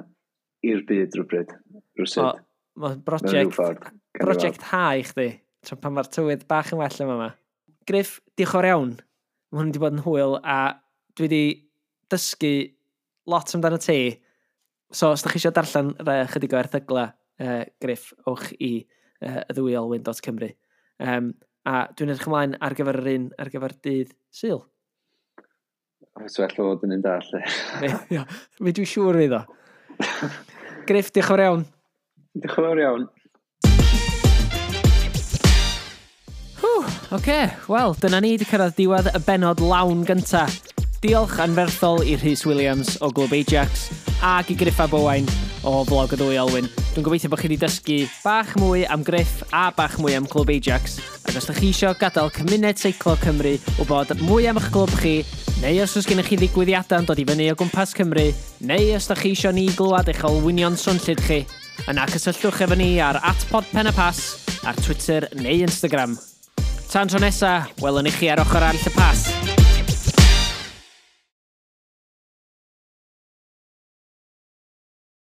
i'r byd rhywbryd. Rwsyd. O, Mae Mewn rhyw brosiect, ffordd. Gawn ni weld. brosiect ha i chdi, tra pan mae'r tywydd bach yn well yma yma. Griff, diolch yn fawr iawn. Mae hwn wedi bod yn hwyl a dwi wedi dysgu lot amdano ti. So, os da chi eisiau darllen rai chydig o erthygla, uh, Griff, ewch i uh, y ddwy olwyn dot Cymru. Um, a dwi'n edrych ymlaen ar gyfer yr un, ar gyfer dydd Sul. Oes well o fod yn un da, lle. Mi, mi dwi'n siŵr fydd o. Griff, diolch yn fawr iawn. Diolch yn fawr iawn. Oce, okay. Wel, dyna ni wedi cyrraedd diwedd y bennod lawn gynta. Diolch anferthol i Rhys Williams o Glwb Ajax ac i Griff ab Owain o Vlog y Ddwy Olwyn. Dwi'n gobeithio bod chi wedi dysgu bach mwy am Griff a bach mwy am Clwb Ajax. Ac os ydych chi eisiau gadael cymuned seiclo Cymru wybod mwy am eich clwb chi, neu os oes gennych chi ddigwyddiadau yn dod i fyny o gwmpas Cymru, neu os ydych chi eisiau ni glywed eich olwynion swnllyd chi, yna cysylltwch efo ni ar at podpenypass ar Twitter neu Instagram. Tan tro nesa, welwn i chi ar ochr arall y pas.